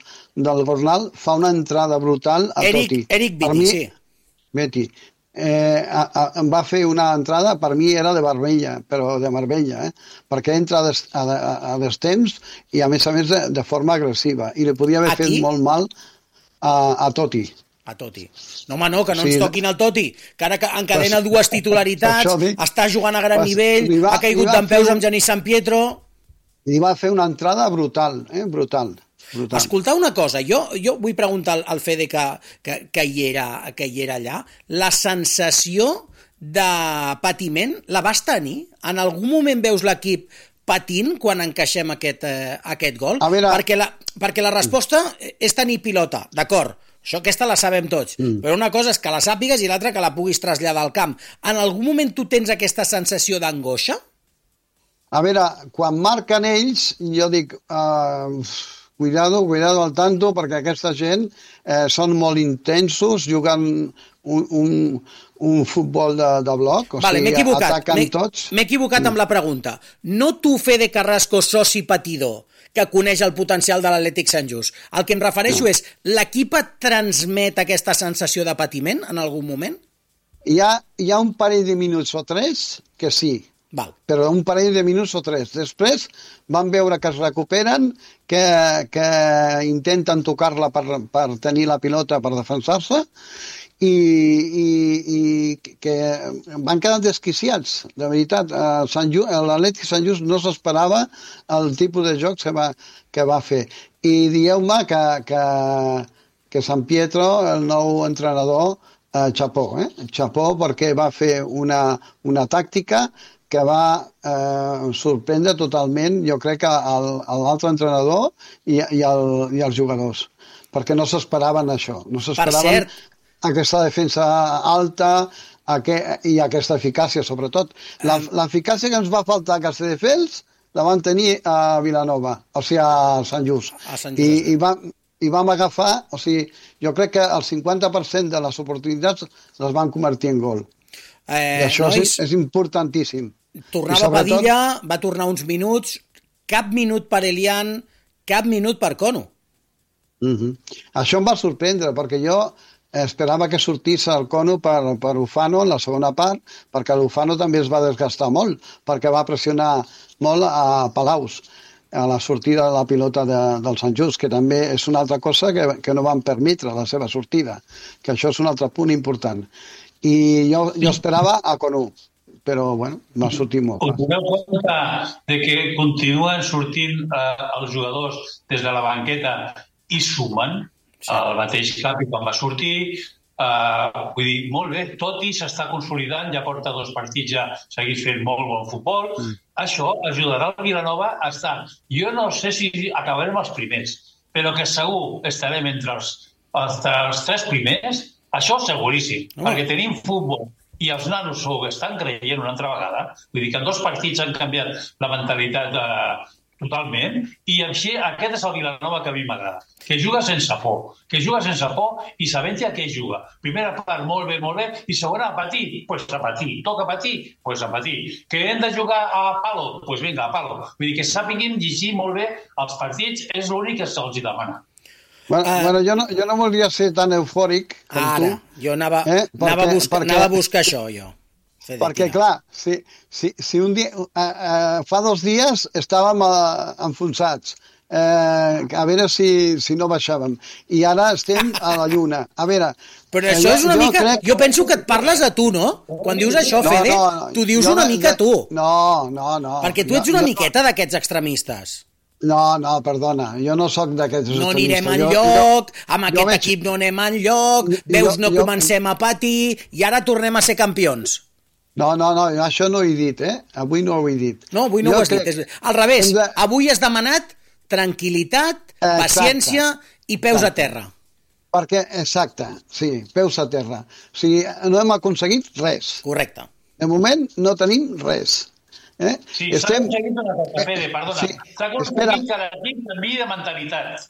Bornal, fa una entrada brutal a Totti. Eric Betty, sí. Betty. Em va fer una entrada, per mi era de Marbella, però de Marbella, perquè entra a destemps i a més de forma agressiva, i li podia haver fet molt mal a Totti. A Totti. No, home, no, que no ens toquin el Totti, que ara encadena dues titularitats, està jugant a gran nivell, ha caigut d'empeus amb Genís San Pietro. Li va fer una entrada brutal, brutal. Escoltar una cosa, jo vull preguntar al Fede que hi era allà, la sensació de patiment la vas tenir? En algun moment veus l'equip patint quan encaixem aquest gol? Perquè la resposta és tenir pilota, d'acord, això aquesta la sabem tots, però una cosa és que la sàpigues i l'altra que la puguis traslladar al camp. En algun moment tu tens aquesta sensació d'angoixa? A veure, quan marquen ells, jo dic... Cuidado al tanto, perquè aquesta gent són molt intensos, jugant un futbol de bloc, o sigui, ataquen tots. M'he equivocat amb la pregunta. No tu, Fede Carrasco, soci patidor, que coneix el potencial de l'Atlètic Sant Just. El que em refereixo és, l'equip et transmet aquesta sensació de patiment en algun moment? Hi ha un parell de minuts o tres que sí, però un parell de minuts o tres. Després van veure que es recuperen, que intenten tocar-la per tenir la pilota per defensar-se i que van quedar desquiciats, de veritat. L'Atlètic Sant Just no s'esperava el tipus de jocs que va fer. I dieu-me que San Pietro, el nou entrenador, xapó, perquè va fer una tàctica que va sorprendre totalment, jo crec, l'altre entrenador i els jugadors, perquè no s'esperaven això, no s'esperaven aquesta defensa alta i aquesta eficàcia, sobretot. L'eficàcia que ens va faltar a Castelldefels la van tenir a Vilanova, o sigui, a Sant Just. I vam agafar, o sigui, jo crec que el 50% de les oportunitats les van convertir en gol. I això és importantíssim. Tornava Padilla, va tornar uns minuts, cap minut per Elian, cap minut per Cono. Això em va sorprendre, perquè jo esperava que sortís el Cono per Ufano en la segona part, perquè l'Ufano també es va desgastar molt, perquè va pressionar molt a Palaus, a la sortida de la pilota del Sant Just, que també és una altra cosa que no van permetre la seva sortida, que això és un altre punt important. I jo esperava a Cono, però bueno, va sortir molt. Us doneu compte de que continuen sortint els jugadors des de la banqueta i sumen el mateix Capi quan va sortir, vull dir, molt bé, Totti s'està consolidant, ja porta 2 partits, ja segueix fent molt bon futbol, això ajudarà el Vilanova a estar, jo no sé si acabarem els primers, però que segur estarem entre els 3 primers, això seguríssim, perquè tenim futbol i els nanos ho estan creient una altra vegada, vull dir que en 2 partits han canviat la mentalitat totalment, i així aquest és el Vilanova que a mi m'agrada, que juga sense por, i sabent a què juga. Primera part, molt bé, i segona, a patir, toca patir, a patir. Que hem de jugar a palo, doncs vinga, a palo. Vull dir que sàpiguin llegir molt bé els partits, és l'únic que se'ls demana. Bueno, jo no volia ser tan eufòric com tu. Jo anava a buscar això, jo. Perquè, clar, si un dia... fa 2 dies estàvem enfonsats, a veure si no baixàvem. I ara estem a la lluna. A veure... Però això és una mica... Jo penso que et parles a tu, no? Quan dius això, Fede, tu dius una mica a tu. No. Perquè tu ets una miqueta d'aquests extremistes. No, perdona, jo no sóc d'aquests extremistes. No anirem enlloc, amb aquest equip no anem enlloc, veus, no comencem a patir, i ara tornem a ser campions. No, això no ho he dit, Avui no ho he dit. No, avui no ho has dit. Al revés, avui has demanat tranquil·litat, paciència i peus a terra. Perquè, exacte, sí, peus a terra. O sigui, no hem aconseguit res. Correcte. De moment no tenim res. Sí, s'ha aconseguit una cosa, Pere, perdona. S'ha aconseguit que l'equip canviï de mentalitat.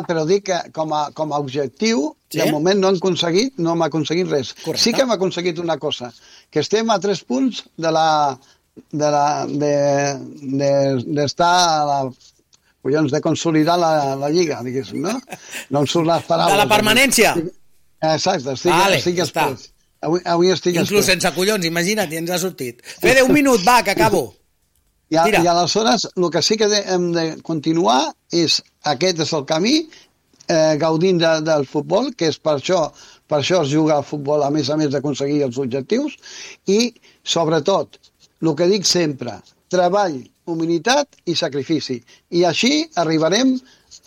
Però dic que com a objectiu, de moment no hem aconseguit res. Correcte. Sí que hem aconseguit una cosa, que estem a 3 punts d'estar a la... Collons, de consolidar la Lliga, diguéssim, no? No em surt les paraules. De la permanència. Exacte, estic espès. Avui estic espès. Inclús sense collons, imagina't, i ens ha sortit. Fede, 1 minut, va, que acabo. I aleshores, el que sí que hem de continuar és, aquest és el camí, gaudint del futbol, que és per això es juga al futbol, a més d'aconseguir els objectius, i, sobretot, el que dic sempre, treball, humilitat i sacrifici. I així arribarem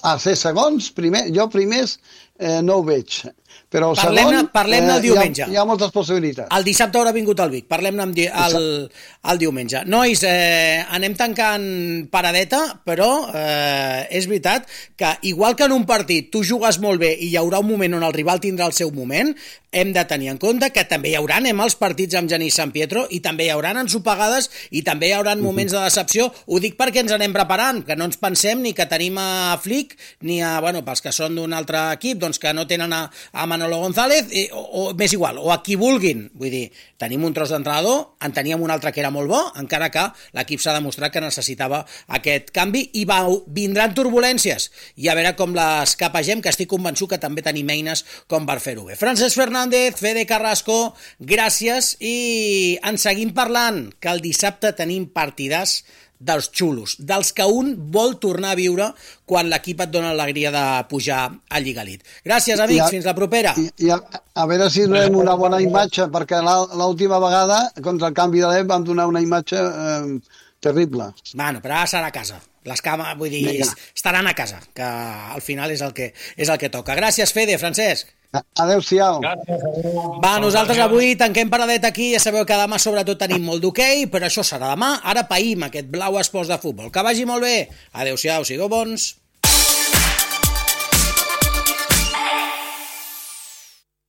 a ser segons, jo primers no ho veig, però parlem-ne el diumenge. Hi ha moltes possibilitats. El dissabte haurà vingut el Vic, parlem-ne el diumenge. Nois, anem tancant paradeta, però és veritat que igual que en un partit tu jugues molt bé i hi haurà un moment on el rival tindrà el seu moment, hem de tenir en compte que també hi haurà els partits amb Genís Sant Pietro i també hi haurà ensopegades i també hi haurà moments de decepció. Ho dic perquè ens anem preparant, que no ens pensem ni que tenim a Flick ni a, pels que són d'un altre equip, doncs que no tenen a Manolo González, o més igual, o a qui vulguin. Vull dir, tenim un tros d'entrenador, en teníem un altre que era molt bo, encara que l'equip s'ha demostrat que necessitava aquest canvi i vindran turbulències i a veure com les capegem, que estic convençut que també tenim eines com per fer-ho bé. Francesc Fernández, Fede Carrasco, gràcies i en seguim parlant, que el dissabte tenim partidars dels xulos, dels que un vol tornar a viure quan l'equip et dona l'alegria de pujar a Lliga Elite. Gràcies, amics, fins la propera. I a veure si donem una bona imatge, perquè l'última vegada, contra el canvi de l'EP, vam donar una imatge terrible. Bueno, però ara serà a casa. Les cames, vull dir, estaran a casa, que al final és el que toca. Gràcies, Fede, Francesc. Adéu-siau. Va, nosaltres avui tanquem paradet aquí, ja sabeu que demà sobretot tenim molt d'hoquei, però això serà demà, ara païm aquest Blau Esports de Futbol. Que vagi molt bé. Adéu-siau, sigueu bons.